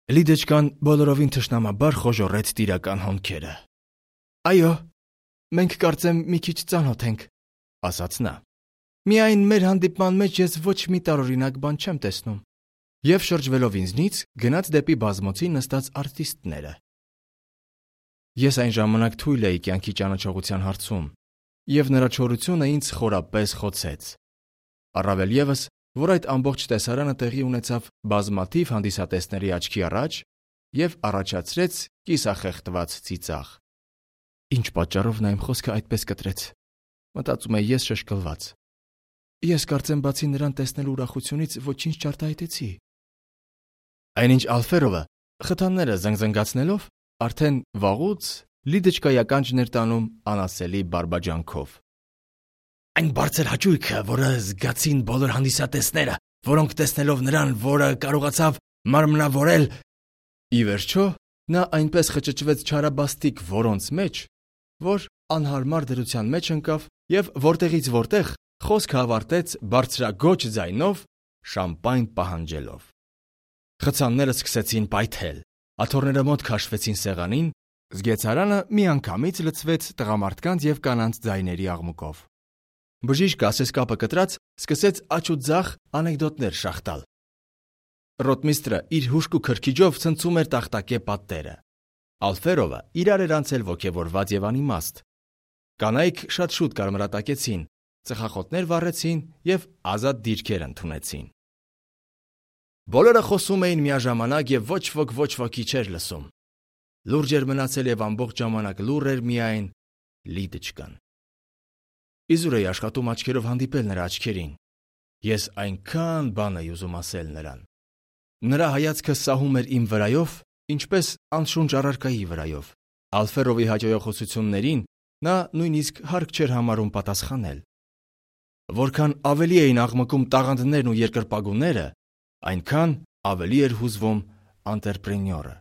Լիդեչկան բոլորովին թշնամաբար խոժոռեց տիրական հոնքերը։ Այո, մենք կարծեմ մի քիչ ծանոթ ենք, ասաց նա։ Միայն մեր հանդիպման մեջ ես ոչ մի տարօրինակ բան չեմ տեսնում։ Եվ շրջվելով ինձնից գնաց դեպի բազմոցի նստած արտիստները։ Ես այն ժամանակ թույլ էի կյանքի ճանաչողության հարցում, եւ նրա չորությունը ինձ խորապես խոցեց։ Առավել ևս, որ այդ ամբողջ տեսարանը տեղի ունեցավ բազմաթիվ հանդիսատեսների աչքի առաջ եւ առաջացրեց կիսախեղդված ծիծաղ։ Ինչ պատճառով նա իմ խոսքը այդպես կտրեց, մտածում էի ես շշկլված։ Ես կարծեմ բացի նրան տեսնելու ուրախությունից ոչինչ չարտահայտեցի։ Այնինչ Ալֆերովը խթանները զնգզնգացնելով արդեն վաղուց Լիդոչկայի ականջն էր տանում անասելի բարբաջանքով։ Այն բարձր հաճույքը, որը զգացին բոլոր հանդիսատեսները, որոնք տեսնելով նրան, որը կարողացավ մարմնավորել, ի վերջո նա այնպես խճճվեց չարաբաստիկ որոնց մեջ, որ անհարմար դրության մեջ ընկավ և որտեղից որտեղ խոսքը ավարտեց բարձրագոչ ձայնով, շամպայն պահանջելով։ Խցանները սկսեցին պայթել, աթոռները մոտ քաշվեցին սեղանին, զգեծարանը միանգամից լցվեց տղամարդկանց և կանանց ձայների աղմուկով։ Բժիշկ ասեսկապը կտրած սկսեց աջ ու ձախ անեկդոտներ շաղտալ։ Ռոտմիստրը իր հուժկու քրքիջով ցնցում էր տախտակե պատտերը։ Ալֆերովը իրար էր անցել ոգևորված և անիմաստ։ Կանայք շատ շուտ կարմրատակեցին, ծխախոտներ վառեցին և ազատ դիրքեր ընդունեցին։ Բոլորը խոսում էին միաժամանակ և ոչ ոք ոչ ոքի չէր լսում։ Լուրջ էր մնացել և ամբողջ ժամանակ լուռ էր միայն Լիդոչկան։ Իզուր էի աշխատում աչքերով հանդիպել նրա աչքերին։ Ես այնքան բան էի ուզում ասել նրան։ Նրա հայացքը սահում էր իմ վրայով, ինչպես անշունչ առարկայի վրայով։ Ալֆերովի հաճոյախոսություններին նա նույնիսկ հարկ չէր համարում պատասխանել։ Որքան ավելի էին աղմկում տաղանդներն ու երկրպագուները, այնքան ավելի էր հուզվում անտրեպրենյորը։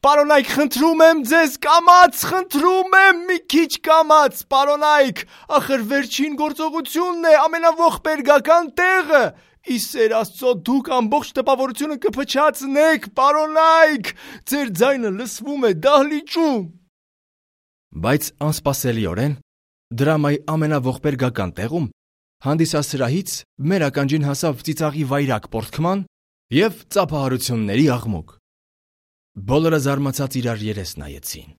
Պարոնայք, խնդրում եմ ձեզ, կամաց, խնդրում եմ, մի քիչ կամաց, պարոնայք, ախր վերջին գործողությունն է, ամենաողբերգական տեղը, ի սեր Աստծո, դուք ամբողջ տպավորությունը կփչացնեք, պարոնայք, ձեր ձայնը լսվում է դահլիճում։ Բայց անսպասելիորեն դրամայի ամենաողբերգական տեղում հանդիսասրահից մեր ականջին հասավ ծիծաղի վայրակ պոռթկման և ծափահարությունների աղմուկ։ Բոլորը զարմացած իրար երես նայեցին։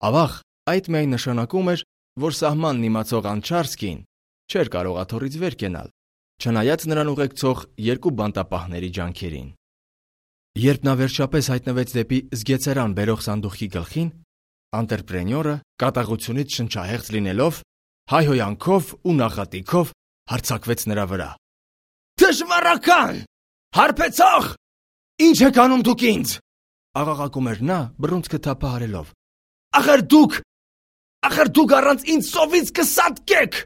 Ավաղ, այդ միայն նշանակում էր, որ սահմանն իմացող Անչարսկին չէր կարող աթոռից վեր կենալ, չնայած նրան ուղեկցող երկու բանտապահների ջանքերին։ Երբ նա վերջապես հայտնվեց դեպի զգեծերան բերող սանդուղքի գլխին, անտրեպրենյորը կատաղությունից շնչահեղձ լինելով, հայհոյանքով ու նախատիքով հարձակվեց նրա վրա։ Թշվառական! Հարբեցող! Ինչ եք անում դուք ինձ, աղաղակում էր նա բռունցքը թափահարելով։ Ախր դուք, ախր դուք առանց ինձ սովից կսատկեք։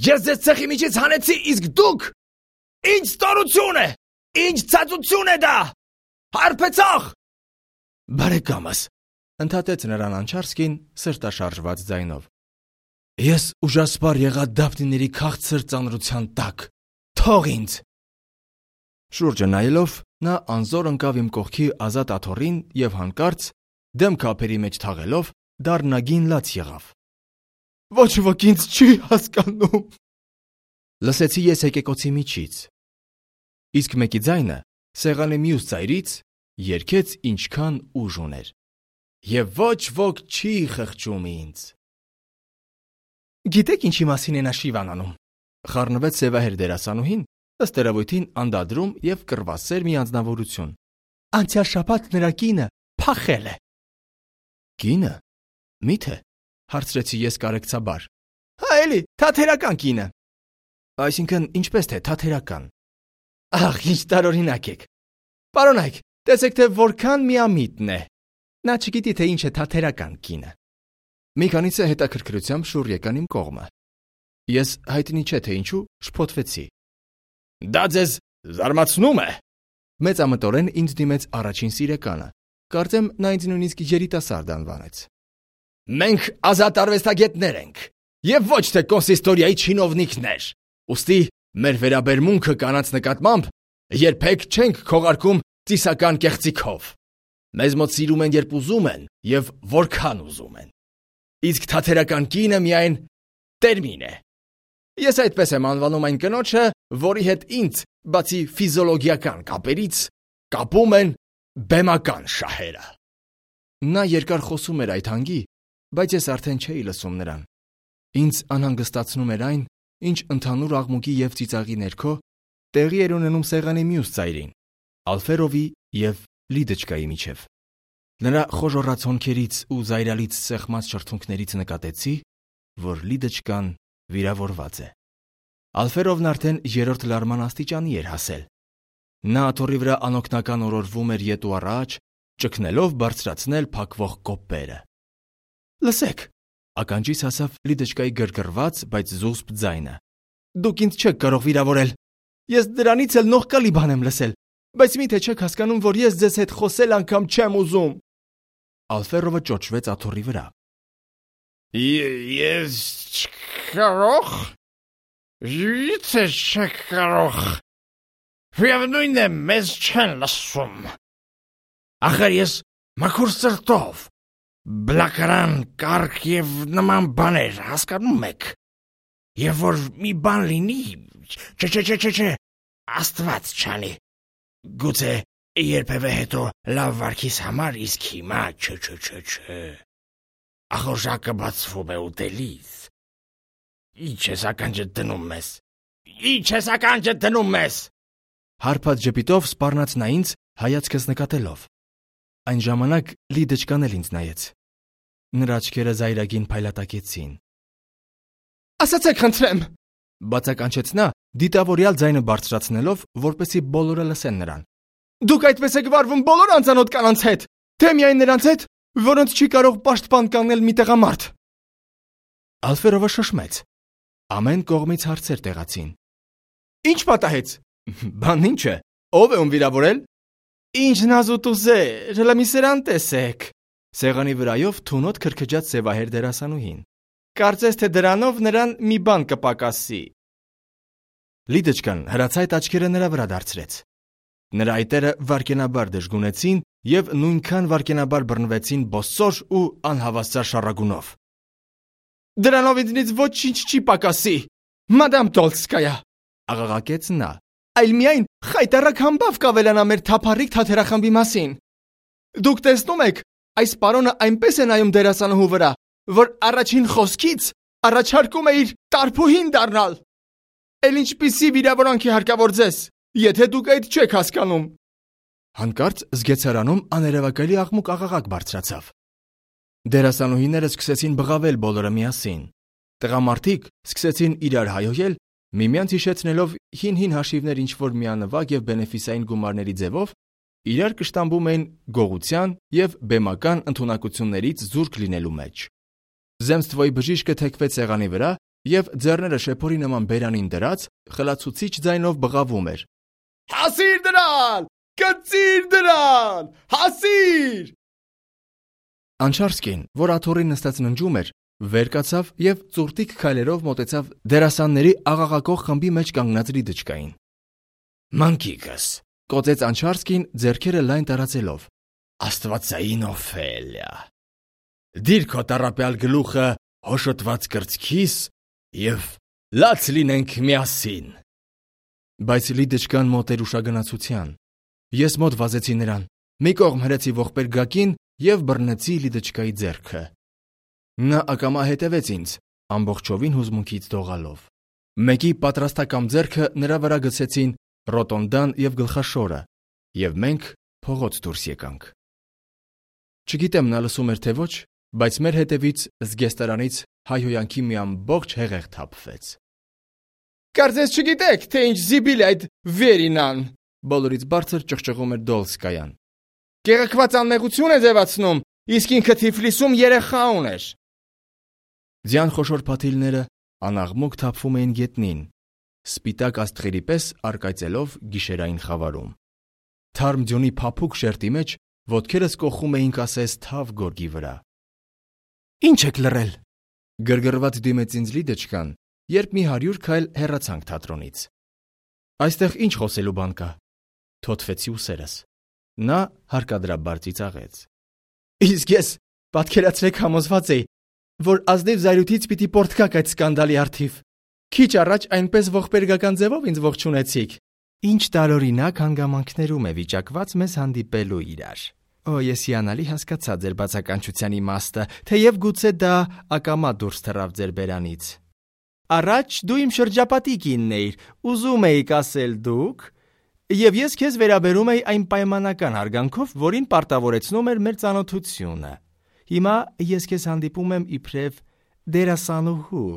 Ես ձեզ ցեխի միջից հանեցի, իսկ դուք, ինչ ստորություն է, ինչ ցածություն է դա, հարբեցող։ Բարեկամս, ընդհատեց նրան Անչարսկին սրտաշարժված ձայնով։ Ես ուժասպառ եղա Դափնիների քաղցր ծանրության տակ, թող ինձ։ Շուրջը նայելով, նա անզոր ընկավ իմ կողքի ազատ աթոռին և հանկարծ, դեմքը ափերի մեջ թաղելով, դառնագին լաց եղավ։ Ոչ ոք ինձ չի հասկանում։ Լսեցի ես եկեկոցի միջից։ Իսկ մեկի ձայնը սեղանի մյուս ծայրից երգեց ինչքան ուժ ուներ։ Եվ ոչ ոք չի խղճում ինձ։ Գիտեք ինչի մասին է նա շիվան անում, խառնվեց սևահեր դերասանուհին, ըստ երևույթին անդադրում և կռվասեր մի անձնավորություն։ Անցյալ շաբաթ նրա կինը փախել է։ Կինը։ Մի՞թե, հարցրեցի ես կարեկցաբար։ Հա էլի, թաթերական կինը։ Այսինքն ինչպես թե թաթերական։ Ահ, ինչ տարօրինակ եք։ Պարոնայք, տեսեք թե որքան միամիտն է։ Նա չգիտի թե ինչ է թաթերական կինը։ Մի քանիսը հետաքրքրությամբ շուռ եկան իմ կողմը։ Ես հայտնի չէ թե ինչու շփոթվեցի։ Դա ձեզ զարմացնում է։ Մեծամտորեն ինձ դիմեց առաջին սիրեկանը։ Կարծեմ նա ինձ նույնիսկ երիտասարդ անվանեց։ Մենք ազատ արվեստագետներ ենք և ոչ թե կոնսիստորիայի չինովնիկներ։ Ուստի մեր վերաբերմունքը կանանց նկատմամբ երբեք չենք քողարկում ծիսական կեղծիքով։ Մեզ մոտ սիրում են, երբ ուզում են և որքան ուզում են։ Իսկ թաթերական կինը միայն տերմին է։ Ես այդպես եմ անվանում այն կնոջը, որի հետ ինձ, բացի ֆիզիոլոգիական կապերից, կապում են բեմական շահերը։ Նա երկար խոսում էր այդ հանգի, բայց ես արդեն չէի լսում նրան։ Ինձ անհանգստացնում էր այն, ինչ ընդհանուր աղմուկի և ծիծաղի ներքո տեղի էր ունենում սեղանի մյուս ծայրին, Ալֆերովի և Լիդոչկայի միջև։ Նրա խոժոռաց հոնքերից ու զայրալից սեղմած շրթունքներից նկատեցի, որ Լիդոչկան վիրավորված է։ Ալֆերովն արդեն երրորդ լարման աստիճանի էր հասել։ Նա աթոռի վրա անօգնական օրորվում էր ետ ու առաջ, ճգնելով բարձրացնել փակվող կոպերը։ Լսեք, ականջիս հասավ Լիդեչկայի գրգռված, բայց զուսպ ձայնը։ Դուք ինձ չեք կարող վիրավորել։ Ես դրանից էլ նողկալի բան եմ լսել, բայց միթե չեք հասկանում, որ ես ձեզ հետ խոսել անգամ չեմ ուզում։ Ալֆերովը ճոճվեց աթոռի վրա։ Ես չկարող։ Յիցե չեք կարող։ Միևնույն է, մեզ չեն լսում։ Ախր ես մաքուր սրտով, բլակարան, կարգ և նման բաներ, հասկանում եք։ Եվ որ մի բան լինի, չէ, չէ, չէ, չէ, չէ, Աստված չանի։ Գուցե երբևէ հետո լավ վարքիս համար, իսկ հիմա չէ, չէ, չէ, չէ։ Ախորժակը բացվում է ուտելիս։ Ինչ ես ականջդ դնում ես։ Ինչ ես ականջդ դնում ես։ Հարբած ժպիտով սպառնաց նա ինձ, հայացքս նկատելով։ Այն ժամանակ Լիդեչկան էլ ինձ նայեց։ Նրա աչքերը զայրագին փայլատակեցին։ Ասացեք, խնդրեմ, բացականչեց նա, դիտավորյալ ձայնը բարձրացնելով, որպեսզի բոլորը լսեն նրան։ Դուք այդպես եք վարվում բոլոր անծանոթ կանանց հետ, թե միայն նրանց հետ, որոնց չի կարող պաշտպան կանգնել մի տղամարդ։ Ալֆերովը շշմեց։ Ամեն կողմից հարցեր տեղացին։ Ինչ պատահեց։ Բան ինչ է։ Ո՞վ է ում վիրավորել։ Ինչ նազուտուզեր, հələ մի սրան տեսեք։ Սեղանի վրայով թունոտ քրքջաց սևահեր դերասանուհին։ Կարծես թե դրանով նրան մի բան կպակասի։ Լիդեչկան հրացայտ աչքերը նրա վրա դարձրեց։ Նրա այտերը վարկենաբար դժգունեցին և նույնքան վարկենաբար բռնվեցին բոսոր ու անհավասար շառագունով։ Դրանով ինձնից ոչինչ չի պակասի, մադամ Տոլսկայա, աղաղակեց նա, այլ միայն խայտառակ համբավ կավելանա մեր թափառիկ թաթերախմբի մասին։ Դուք տեսնում եք, այս պարոնը այնպես է նայում դերասանուհու վրա, որ առաջին խոսքից առաջարկում է իր տարփուհին դառնալ։ Էլ ինչպիսի վիրավորանք է հարկավոր ձեզ, եթե դուք այդ չեք հասկանում։ Հանկարծ զգեცարանում աներևակայելի աղմուկ աղաղակ բարձրացավ։ Դերասանուհիները սկսեցին բղավել բոլորը միասին։ Տղամարդիկ սկսեցին իրար հայհոյել, միմյանց հիշեցնելով հին-հին հաշիվներ ինչ-որ միանվագ և բենեֆիսային գումարների ձևով, իրար կշտամբում էին գողության և բեմական ընդունակություններից զուրկ լինելու մեջ։ Զեմստվոյի բժիշկը թեքվեց սեղանի վրա և ձեռները շեփորի նման բերանին դրած խլացուցիչ ձայնով բղավում էր. Հասիր դրան, կծիր դրան, հասիր։ Անչարսկին, որ աթոռին նստած ննջում էր, վեր կացավ և ծուրտիկ քայլերով մոտեցավ դերասանների աղաղակող խմբի մեջ կանգնած Լիդեչկային։ Մանկիկս, կոծեց Անչարսկին ձեռքերը լայն տարածելով։ Աստվածային Օֆելիա, դիր քո տառապյալ գլուխը հոշոտված կրծքիս և լաց լինենք միասին։ Բայց Լիդեչկան մոտ էր ուշագնացության։ Ես մոտ վազեցի նրան, մի կողմ հրեցի ողբերգակին և բռնեցի Լիդեչկայի ձեռքը։ Նա ակամա հետևեց ինձ, ամբողջովին հուզմունքից դողալով։ Մեկի պատրաստակամ ձեռքը նրա վրա գցեցին ռոտոնդան և գլխաշորը, և մենք փողոց դուրս եկանք։ Չգիտեմ նա լսում էր թե ոչ, բայց մեր հետևից զգեստարանից հայհոյանքի մի ամբողջ հեղեղ թափվեց։ Կարծես չգիտեք, թե ինչ զիբիլ է այդ Վերինան, բոլորից բարձր ճղճղում էր Դոլսկայան։ Գեղեցկված անմեղություն է ձևացնում, իսկ ինքը Թիֆլիսում երեխա ուներ։ Ձյան խոշոր փաթիլները անաղմուկ թափվում էին գետնին, սպիտակ աստղերի պես առկայծելով գիշերային խավարում։ Թարմ ձյունի փափուկ շերտի մեջ ոտքերս կոխում էին կասես թավ գորգի վրա։ Ինչ եք լռել, գրգռված դիմեց ինձ Լիդեչկան, երբ մի հարյուր քայլ հեռացանք թատրոնից։ Այստեղ ինչ խոսելու բան կա։ Թոթվեցի ուսերս։ Նա հարկադրաբար ծիծաղեց։ Իսկ ես պատկերացրեք համոզված էի, որ ազնիվ զայրույթից պիտի պորտկաք այդ սկանդալի առթիվ։ Քիչ առաջ այնպես ողբերգական ձևով ինձ ողջունեցիք։ Ինչ տարօրինակ հանգամանքներում է վիճակված մեզ հանդիպելու իրար։ Օ, ես հիանալի հասկացա ձեր բացականչության իմաստը, թեև գուցե դա ակամա դուրս թռավ ձեր բերանից։ Առաջ դու իմ շրջապատիկինն էիր, ուզում էիք ասել դուք, և ես քեզ վերաբերում էի այն պայմանական հարգանքով, որին պարտավորեցնում էր մեր ծանոթությունը։ Հիմա ես քեզ հանդիպում եմ իբրև դերասանուհու,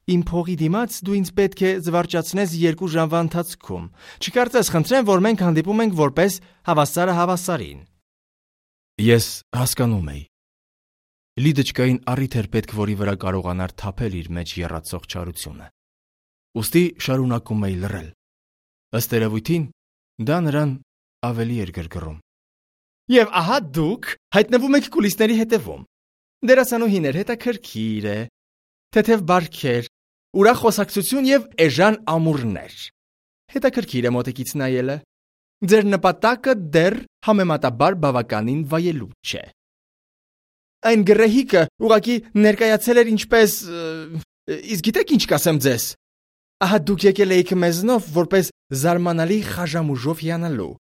Իմ փողի դիմաց դու ինձ պետք է զվարճացնես երկու ժամվա ընթացքում։ Չկարծես խնդրեմ, որ մենք հանդիպում ենք որպես հավասարը հավասարին։ Ես հասկանում էի։ Լիդոչկային առիթ էր պետք, որի վրա կարողանար թափել իր մեջ եռացող չարությունը։ Ուստի շարունակում էի լռել։ Ըստ երևույթին, դա նրան ավելի էր գրգռում։ Եվ ահա դուք հայտնվում եք կուլիսների հետևում։ Դերասանուհիներ, հետաքրքիր է, թեթև բարքեր, ուրախ խոսակցություն եւ էժան ամուրներ։ Հետաքրքիր է մոտիկից նայելը։ Ձեր նպատակը դեռ համեմատաբար բավականին վայելուչ չէ։ Այն գրեհիկը ուղղակի ներկայացել էր ինչպես… Իսկ գիտեք ինչ կասեմ ձեզ։ Ահա դուք եկել էիք մեզնով որպես զարմանալի խաժամուժով հիանալու։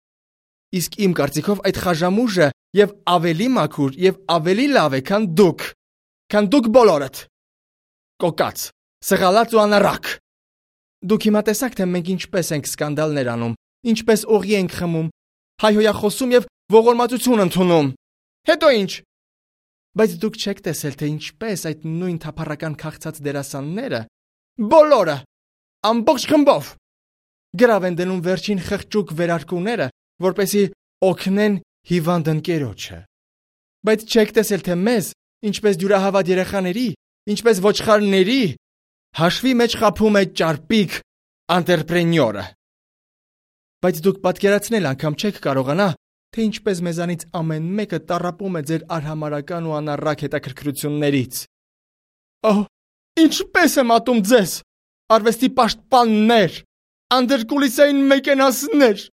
Իսկ իմ կարծիքով այդ խաժամուժը եւ ավելի մաքուր եւ ավելի լավ է, քան դուք, քան դուք բոլորդ։ Կոկած, սղալած ու անառակ։ Դուք հիմա տեսաք, թե մենք ինչպես ենք սկանդալներ անում, ինչպես օղի ենք խմում, հայհոյախոսում եւ ողորմածություն ընդունում։ Հետո ինչ։ Բայց դուք չեք տեսել, թե ինչպես այդ նույն թափառական քաղցած դերասանները, բոլորը, ամբողջ խմբով, գրավ են դնում վերջին խղճուկ վերարկուները, որպեսզի օգնեն հիվանդ ընկերոջը։ Բայց չեք տեսել, թե մեզ, ինչպես դյուրահավատ երեխաների, ինչպես ոչխարների, հաշվի մեջ խաբում է ճարպիկ անտրեպրենյորը։ Բայց դուք պատկերացնել անգամ չեք կարողանա, թե ինչպես մեզանից ամեն մեկը տառապում է ձեր արհամարական ու անառակ հետաքրքրություններից։ Օհ, ինչպես եմ ատում ձեզ, արվեստի պաշտպաններ, անդերկուլիսային մեկենասներ։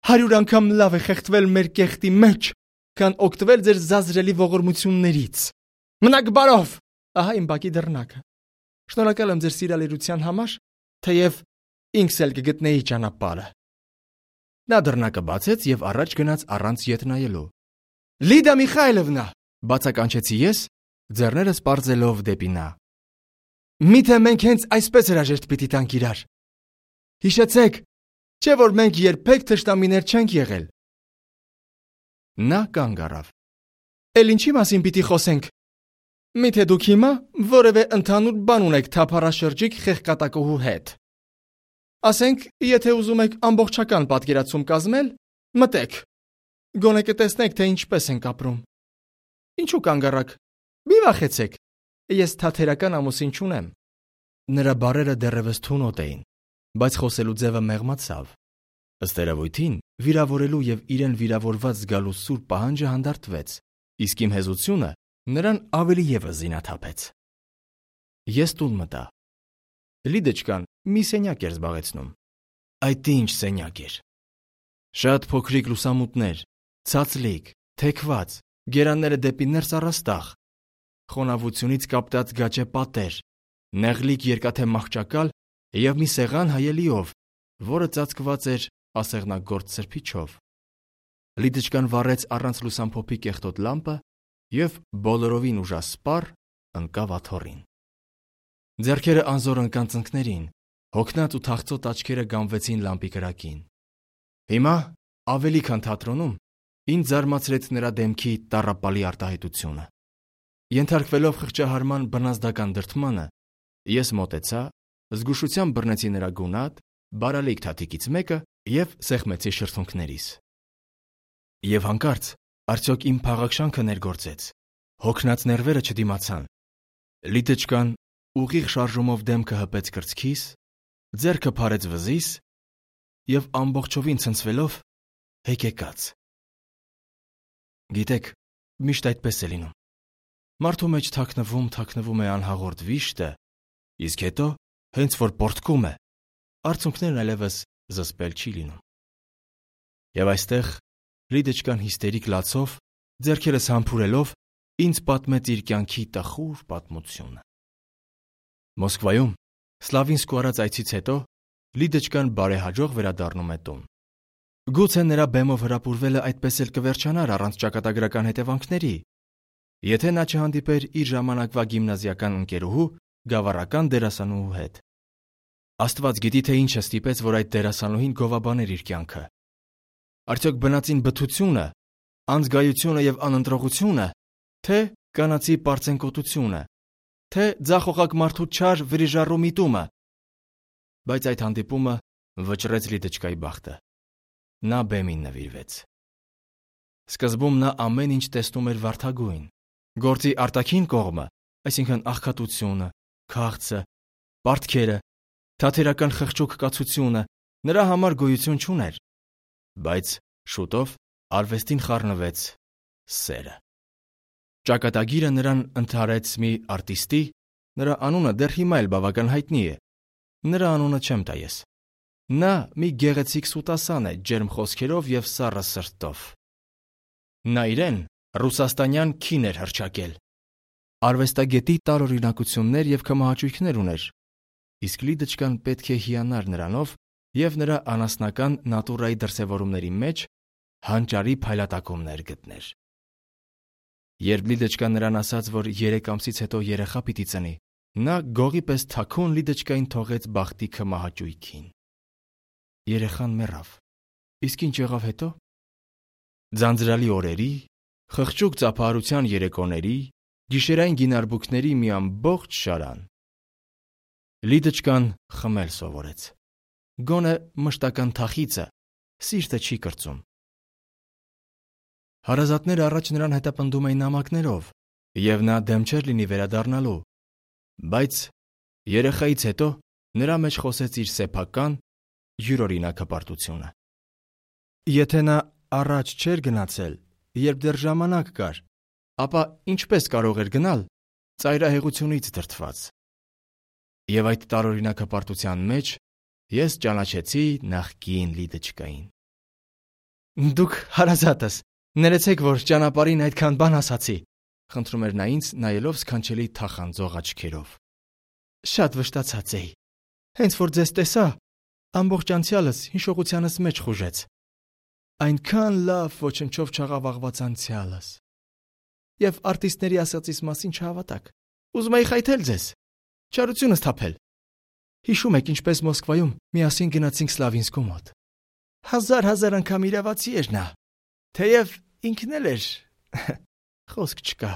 Հարյուր անգամ լավ է խեղդվել մեր կեղտի մեջ, քան օգտվել ձեր զազրելի ողորմություններից։ Մնաք բարով։ Ահա իմ բակի դռնակը։ Շնորհակալ եմ ձեր սիրալիրության համար, թեև ինքս էլ կգտնեի ճանապարհը։ Նա դռնակը բացեց եւ առաջ գնաց առանց ետ նայելու։ Լիդա Միխայլովնա, բացականչեցի ես, ձեռներս պարզելով դեպի նա։ Միթե մենք հենց այսպես հրաժեշտ պիտի տանք իրար։ Հիշեցեք, չէ՞ որ մենք երբեք թշնամիներ չենք եղել։ Նա կանգ առավ։ Էլ ինչի մասին պիտի խոսենք։ Միթե դուք հիմա որևէ ընդհանուր բան ունեք թափառաշրջիկ խեղկատակոհու հետ։ Ասենք, եթե ուզում եք ամբողջական պատկերացում կազմել, մտեք։ Գոնե կտեսնեք, թե ինչպես ենք ապրում։ Ինչու կանգ առաք։ Մի վախեցեք։ Ես թաթերական ամուսին չունեմ։ Նրա բառերը դեռևս թունոտ էին, բայց խոսելու ձևը մեղմացավ։ Ըստ երևույթին, վիրավորելու եւ իրեն վիրավորված զգալու սուր պահանջը հանդարտվեց, իսկ իմ հեզությունը նրան ավելի ևս զինաթափեց։ Ես տուն մտա։ Լիդոչկան մի սենյակ էր զբաղեցնում։ Այդ ինչ սենյակ էր։ Շատ փոքրիկ լուսամուտներ, ցածլիկ, թեքված, գերանները դեպի ներս առաստաղ, խոնավությունից կապտած գաճե պատեր, նեղլիկ երկաթե մահճակալ եւ մի սեղան հայելիով, որը ծածկված էր ասեղնագործ սրբիչով։ Լիդոչկան վառեց առանց լուսամփոփի կեղտոտ լամպը եւ բոլորովին ուժասպառ ընկավ աթոռին։ Ձեռքերը անզոր ընկան ծնկներին, հոգնած ու թախծոտ աչքերը գամվեցին լամպի կրակին։ Հիմա, ավելի քան թատրոնում, ինձ զարմացրեց նրա դեմքի տառապալի արտահայտությունը։ Ենթարկվելով խղճահարման բնազդական դրդմանը, ես մոտեցա, զգուշությամբ բռնեցի նրա գունատ, բարալիկ թաթիկից մեկը եւ սեղմեցի շրթունքներիս։ Եվ հանկարծ արդյոք իմ փաղաքշանքը ներգործեց։ Հոգնած ներվերը չդիմացան։ Լիդոչկան ուղիղ շարժումով դեմքը հպեց կրծքիս, ձեռքը փարեց վզիս եւ ամբողջովին ցնցվելով հեկեկաց։ Գիտեք, միշտ այդպես է լինում։ Մարդու մեջ թաքնվում, թաքնվում է անհաղորդ վիշտը, իսկ հետո, հենց որ պորտկում է, արցունքներն այլևս զսպել չի լինում։ Եվ այստեղ Լիդոչկան հիստերիկ լացով, ձեռքերս համբուրելով, ինձ պատմեց իր կյանքի տխուր պատմությունը։ Մոսկվայում Սլավինսկու արած այցից հետո Լիդոչկան բարեհաջող վերադառնում է տուն։ Գուցե նրա բեմով հրապուրվելը այդպես էլ կվերջանար առանց ճակատագրական հետևանքների, եթե նա չհանդիպեր իր ժամանակվա գիմնազիական ընկերուհու, գավառական դերասանուհու հետ։ Աստված գիտի, թե ինչ է ստիպեց, որ այդ դերասանուհին գովաբաներ իր կյանքը։ Արդյոք բնածին բթությունը, անզգայությունը եւ անընտրողությունը, թե կանացի պարծենկոտությունը, թե ձախողակ մարդու չար վրիժառու միտումը։ Բայց այդ հանդիպումը վճռեց Լիդոչկայի բախտը։ Նա բեմին նվիրվեց։ Սկզբում նա ամեն ինչ տեսնում էր վարդագույն։ Գործի արտաքին կողմը, այսինքն աղքատությունը, քաղցը, պարտքերը, թաթերական խղճուկ կացությունը նրա համար գոյություն չուներ։ Բայց շուտով արվեստին խառնվեց սերը։ Ճակատագիրը նրան ընդհարեց մի արտիստի, նրա անունը դեռ հիմա էլ բավական հայտնի է։ Նրա անունը չեմ տա ես։ Նա մի գեղեցիկ սուտասան է, ջերմ խոսքերով և սառը սրտով։ Նա իրեն ռուսաստանյան քին էր հռչակել։ Արվեստագետի տարօրինակություններ և կմահաճույքներ ուներ, իսկ Լիդոչկան պետք է հիանար նրանով և նրա անասնական նատուրայի դրսևորումների մեջ հանճարի փայլատակումներ գտներ։ Երբ Լիդոչկան նրան ասաց, որ երեք ամսից հետո երեխա պիտի ծնի, նա գողի պես թաքուն Լիդոչկային թողեց բախտի կմահաճույքին։ Երեխան մեռավ։ Իսկ ինչ եղավ հետո։ Ձանձրալի օրերի, խղճուկ ծափահարության երեկոների, գիշերային գինարբուքների մի ամբողջ շարան։ Լիդոչկան խմել սովորեց։ Գոնե մշտական թախիծը սիրտը չի կրծում։ Հարազատները առաջ նրան հետապնդում էին նամակներով, և նա դեմ չէր լինի վերադառնալու, բայց երեխայից հետո նրա մեջ խոսեց իր սեփական յուրօրինակ հպարտությունը։ Եթե նա առաջ չէր գնացել, երբ դեռ ժամանակ կար, ապա ինչպես կարող էր գնալ ծայրահեղությունից դրդված։ Եվ այդ տարօրինակ հպարտության մեջ ես ճանաչեցի նախկին Լիդոչկային։ Դուք հարազատս, ներեցեք, որ ճանապարհին այդքան բան ասացի, խնդրում էր նա ինձ, նայելով սքանչելի թախանձող աչքերով։ Շատ վշտացած էի։ Հենց որ ձեզ տեսա, ամբողջ անցյալս հիշողությանս մեջ խուժեց։ Այնքան լավ ոչնչով չաղավաղված անցյալս։ Եվ արտիստների ասածիս մասին չհավատաք։ Ուզում էի խայթել ձեզ, չարությունս թափել։ Հիշում եք, ինչպես Մոսկվայում միասին գնացինք Սլավինսկու մոտ։ Հազար-հազար անգամ իրավացի էր նա, թեև ինքն էլ էր, խոսք չկա։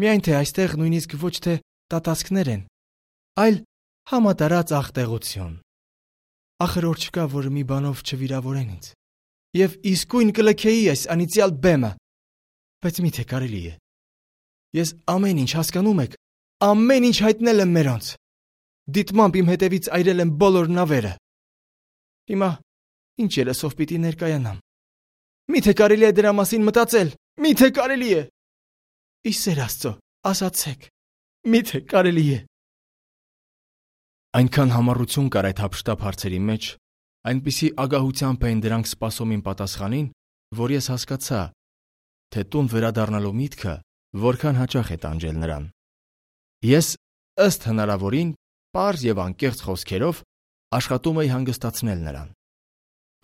Միայն թե այստեղ նույնիսկ ոչ թե տատասկներ են, այլ համատարած աղտեղություն։ Ախր որ չկա, որ մի բանով չվիրավորեն ինձ։ Եվ իսկույն կլքեի այս անիծյալ բեմը։ Բայց միթե կարելի է։ Ես ամեն ինչ հասկանում եք, ամեն ինչ հայտնել եմ մերոնց։ Դիտմամբ իմ հետևից այրել եմ բոլոր նավերը։ Հիմա ինչ երեսով պիտի ներկայանամ։ Միթե կարելի է դրա մասին մտածել, միթե կարելի է։ Ի սեր Աստծո, ասացեք, միթե կարելի է։ Այնքան համառություն կար այդ հափշտապ հարցերի մեջ, այնպիսի ագահությամբ էին դրանք սպասում իմ պատասխանին, որ ես հասկացա, թե տուն վերադառնալու միտքը որքան հաճախ է տանջել նրան։ Ես ըստ հնարավորին պարզ և անկեղծ խոսքերով աշխատում էի հանգստացնել նրան։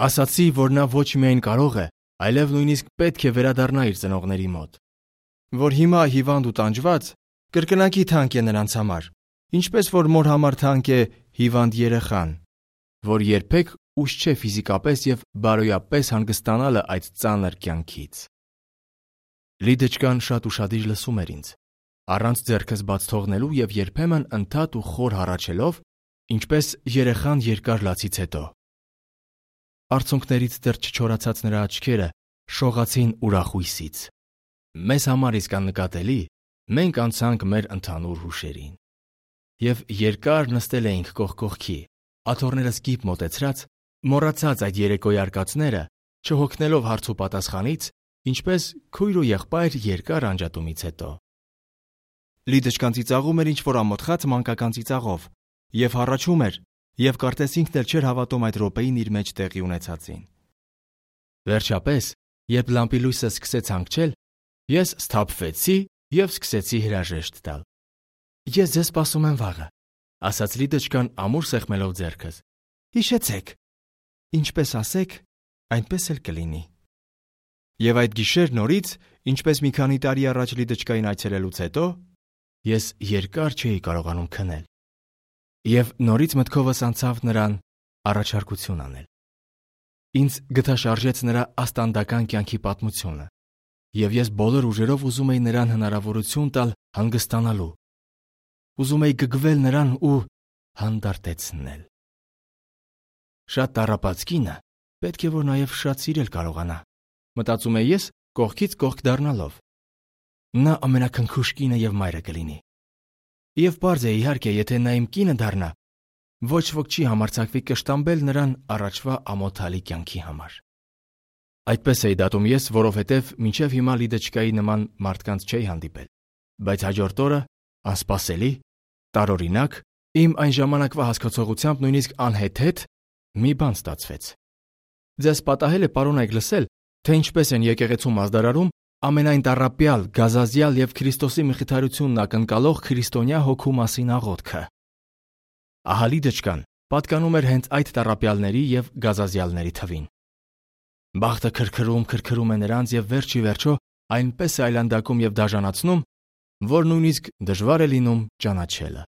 Ասացի, որ նա ոչ միայն կարող է, այլև նույնիսկ պետք է վերադառնա իր ծնողների մոտ, որ հիմա հիվանդ ու տանջված կրկնակի թանկ է նրանց համար, ինչպես որ մոր համար թանկ է հիվանդ երեխան, որ երբեք ուշ չէ ֆիզիկապես և բարոյապես հանգստանալը այդ ծանր կյանքից։ Լիդոչկան շատ ուշադիր լսում էր ինձ, առանց ձեռքս բաց թողնելու և երբեմն ընդհատ ու խոր հառաչելով, ինչպես երեխան երկար լացից հետո։ Արցունքներից դեռ չչորացած նրա աչքերը շողացին ուրախույսից։ Մեզ համար իսկ աննկատելի, մենք անցանք մեր ընդհանուր հուշերին։ Եվ երկար նստել էինք կողք կողքի, աթոռներս կիպ մոտեցրած, մոռացած այդ երեկոյի արկածները, չհոգնելով հարց ու պատասխանից, ինչպես քույր ու եղբայր երկար անջատումից հետո։ Լիդոչկան ծիծաղում էր ինչ-որ ամոթխած մանկական ծիծաղով և հառաչում էր, և կարծես ինքն էլ չէր հավատում այդ րոպեին իր մեջ տեղի ունեցածին։ Վերջապես, երբ լամպի լույսը սկսեց հանգչել, ես սթափվեցի և սկսեցի հրաժեշտ տալ։ Ես ձեզ սպասում եմ վաղը, ասաց Լիդոչկան ամուր սեղմելով ձեռքս։ Հիշեցեք, ինչպես ասեք, այնպես էլ կլինի։ Եվ այդ գիշեր նորից, ինչպես մի քանի տարի առաջ Լիդոչկային այցելելուց հետո, ես երկար չէի կարողանում քնել։ Եվ նորից մտքովս անցավ նրան առաջարկություն անել։ Ինձ գտաշարժեց նրա աստանդական կյանքի պատմությունը, և ես բոլոր ուժերով ուզում էի նրան հնարավորություն տալ հանգստանալու, ուզում էի գգվել նրան ու հանդարտեցնել։ Շատ տառապած կինը պետք է որ նաև շատ սիրել կարողանա, մտածում էի ես կողքից կողք դառնալով։ Նա ամենաքնքուշ կինը եւ մայրը կլինի։ Եվ պարզ է իհարկե, եթե նա իմ կինը դառնա, ոչ ոք չի համարձակվի կշտամբել նրան առաջվա ամոթալի կյանքի համար։ Այդպես էի դատում ես, որովհետև մինչև հիմա Լիդեչկայի նման մարդկանց չէի հանդիպել, բայց հաջորդ օրը, անսպասելի, տարօրինակ, իմ այն ժամանակվա հասկացողությամբ նույնիսկ անհեթեթ մի բան ստացվեց։ Ձեզ պատահել է պարոնայք լսել, թե ինչպես են եկեղեցու մազդարարում ամենայն տառապյալ, գազազյալ եւ Քրիստոսի մխիթարությունն ակնկալող քրիստոնյա հոգու մասին աղոթքը։ Ահա Լիդեչկան պատկանում էր հենց այդ տառապյալների եւ գազազյալների թվին։ Բախտը քրքրում, քրքրում է նրանց եւ վերջի վերջո այնպես է այլանդակում եւ դաժանացնում, որ նույնիսկ դժվար է լինում ճանաչելը։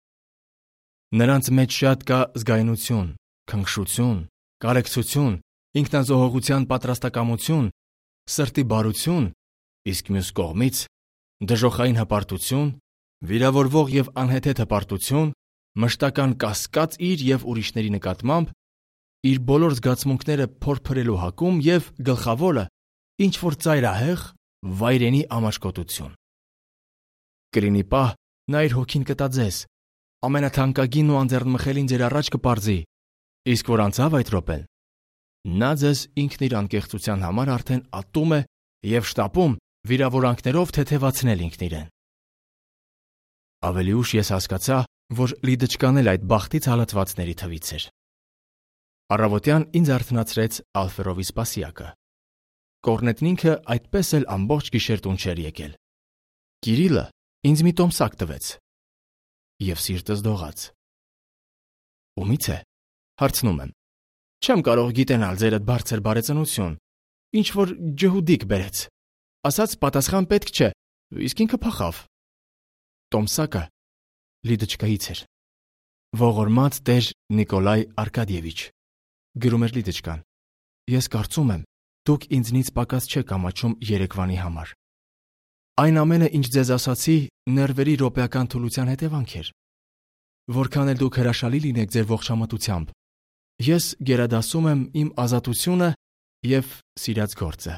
Նրանց մեջ շատ կա զգայունություն, քնքշություն, կարեկցություն, ինքնազոհողության պատրաստակամություն, սրտի բարություն, իսկ մյուս կողմից դժոխային հպարտություն, վիրավորվող եւ անհեթեթ հպարտություն, մշտական կասկած իր եւ ուրիշների նկատմամբ, իր բոլոր զգացմունքները փորփրելու հակում եւ գլխավորը ինչ որ ծայրահեղ վայրենի ամաչկոտություն։ Կրինի պահ նա իր հոգին կտա ձեզ, ամենաթանկագին ու անձեռնմխելին ձեր առաջ կպարզի, իսկ որ անցավ այդ րոպեն, նա ձեզ ինքն իր անկեղծության համար արդեն ատում է եւ շտապում վիրավորանքներով թեթևացնել ինքն իրեն։ Ավելի ուշ ես հասկացա, որ Լիդեչկան էլ այդ բախտից հալածվածների թվից էր։ Առավոտյան ինձ արթնացրեց Ալֆերովի սպասյակը։ Կորնետնին ինքը այդպես էլ ամբողջ գիշեր տուն չէր եկել։ Կիրիլը ինձ մի տոմսակ տվեց եւ սիրտս դողաց։ Ումից է, հարցնում եմ։ Չեմ կարող գիտենալ ձեր այդ բարձր բարեծնություն, ինչ որ ջհուդիկ բերեց։ Ասաց պատասխան պետք չէ, իսկ ինքը փախավ։ Տոմսակը Լիդեչկայից էր։ Ողորմած տեր Նիկոլայ Արկադիևիչ, գրում էր Լիդեչկան, ես կարծում եմ, դուք ինձնից պակաս չեք ամաչում երեկվանի համար։ Այն ամենը, ինչ ձեզ ասացի, ներվերի րոպեական թուլության հետևանք էր։ Որքան էլ դուք հրաշալի լինեք ձեր ողջամտությամբ, ես գերադասում եմ իմ ազատությունը եւ սիրած գործը,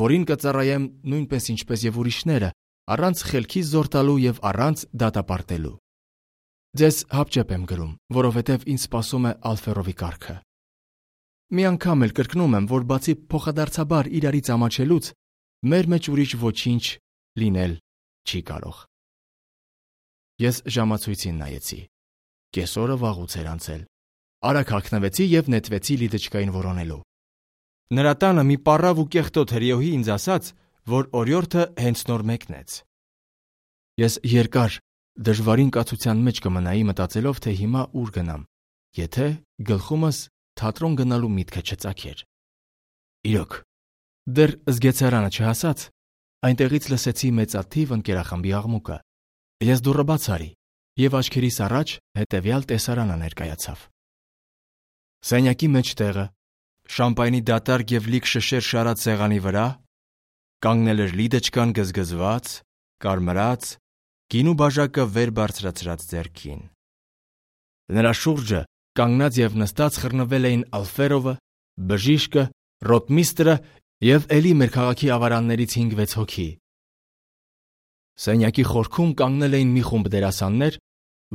որին կծառայեմ նույնպես ինչպես եւ ուրիշները, առանց խելքից զոր տալու եւ առանց դատապարտելու։ Ձեզ հապճեպ եմ գրում, որովհետեւ ինձ սպասում է Ալֆերովի կարգը։ Մի անգամ էլ կրկնում եմ, որ բացի փոխադարձաբար իրարից ամաչելուց, մեր մեջ ուրիշ ոչինչ լինել չի կարող։ Ես ժամացույցին նայեցի։ Կեսօրը վաղուց էր անցել։ Արագ հագնվեցի եւ նետվեցի Լիդեչկային որոնելու։ Նրա տանը մի պառավ ու կեղտոտ հրիոհի ինձ ասաց, որ օրիորդը հենց նոր մեկնեց։ Ես երկար դժվարին կացության մեջ կմնայի մտածելով, թե հիմա ուր գնամ, եթե գլխումս թատրոն գնալու միտքը չծագեր։ Իրոք, դեռ զգեցարանը չհասած, այնտեղից լսեցի մեծաթիվ ընկերախմբի աղմուկը։ Ես դուռը բաց արի եւ աչքերիս առաջ հետեւյալ տեսարանը ներկայացավ։ Սենյակի մեջտեղը, շամպայնի դատարկ եւ լիք շշեր շարած սեղանի վրա կանգնել էր Լիդեչկան գզգզված, կարմրած, գինու բաժակը վեր բարձրացրած ձեռքին։ Նրա շուրջը կանգնած եւ նստած խռնվել էին Ալֆերովը, բժիշկը, ռոտմիստրը եւ էլի մեր քաղաքի ավարաններից հինգ-վեց հոգի։ Սենյակի խորքում կանգնել էին մի խումբ դերասաններ,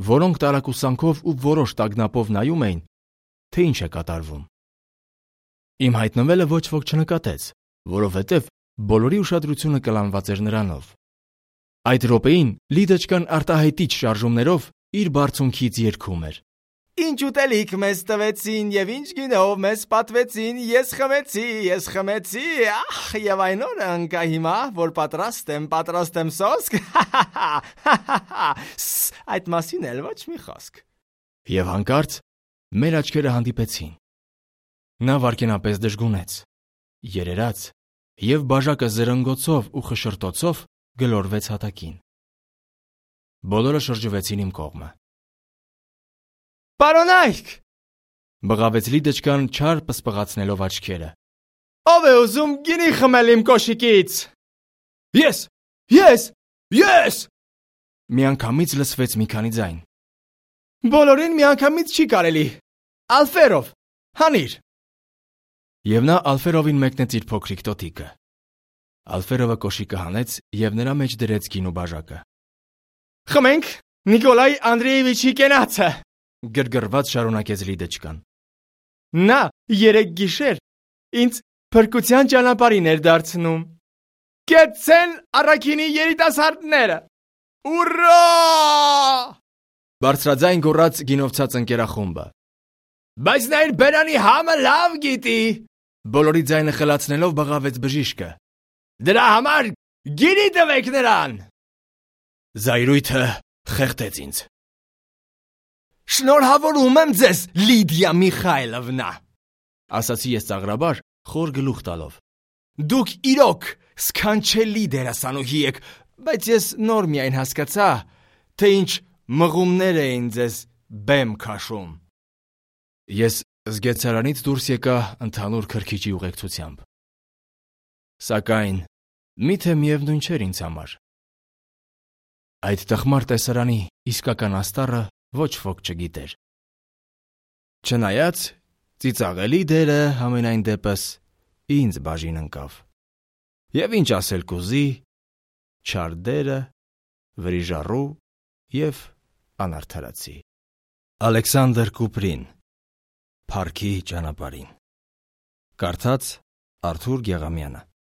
որոնք տարակուսանքով ու որոշ տագնապով նայում էին, թե ինչ է կատարվում։ Իմ հայտնվելը ոչ ոք չնկատեց, որովհետև բոլորի ուշադրությունը կլանված էր նրանով։ Այդ րոպեին Լիդեչկան արտահայտիչ շարժումներով իր բարձունքից երգում էր. Ինչ ուտելիք մեզ տվեցին եւ ինչ գինով մեզ պատվեցին, ես խմեցի, ես խմեցի, ախ, եւ այն օրը ընկա հիմա, որ պատրաստ եմ, պատրաստ եմ սոսկ, այդ մասին էլ ոչ մի խոսք։ Եվ հանկարծ մեր աչքերը հանդիպեցին։ Նա վարքենապես դժգունեց, երերաց եւ բաժակը զրնգոցով ու խշրտոցով գլորվեց հատակին։ Բոլորը շրջվեցին իմ կողմը։ Պարոնայք, բղավեց Լիդեչկան չար պսպղացնելով աչքերը։ Ով է ուզում գինի խմել իմ կոշիկից։ Ես, ես, ես, Միանգամից լսվեց մի քանի ձայն։ Բոլորին միանգամից չի կարելի։ Ալֆերով, հանիր։ Եվ նա Ալֆերովին մեկնեց իր փոքրիկ տոտիկը։ Ալֆերովը կոշիկը հանեց եւ նրա մեջ դրեց գինու բաժակը։ Խմենք Նիկոլայ Անդրեևիչի կենացը, գրգռված շարունակեց Լիդեչկան։ Նա երեք գիշեր ինձ փրկության ճանապարհին էր դարձնում։ Կեցցեն առաքինի երիտասարդները։ Ուռա! Բարձրաձայն գոռաց գինովցած ընկերախումբը։ Բայց նա իր բերանի համը լավ գիտի, բոլորի ձայնը խլացնելով բղավեց բժիշկը։ Դրա համար գինի տվեք նրան։ Զայրույթը խեղդեց ինձ։ Շնորհավորում եմ ձեզ, Լիդիա Միխայլովնա, ասացի ես ծաղրաբար, խոր գլուխ տալով։ Դուք իրոք սքանչելի դերասանուհի եք, բայց ես նոր միայն հասկացա, թե ինչ մղումներ էին ձեզ բեմ քաշում։ Ես զգեստարանից դուրս եկա ընդհանուր քրքիջի ուղեկցությամբ։ Սակայն միթե միևնույն չէր ինձ համար։ Այդ տխմար տեսարանի իսկական աստառը ոչ ոք չգիտեր։ Չնայած ծիծաղելի դերը համենայն դեպս ինձ բաժին ընկավ։ Եվ ինչ ասել կուզի, չար դերը, վրիժառու և անարդարացի։ Ալեքսանդր Կուպրին, Փառքի ճանապարհին։ Կարդաց Արթուր Գեղամյանը։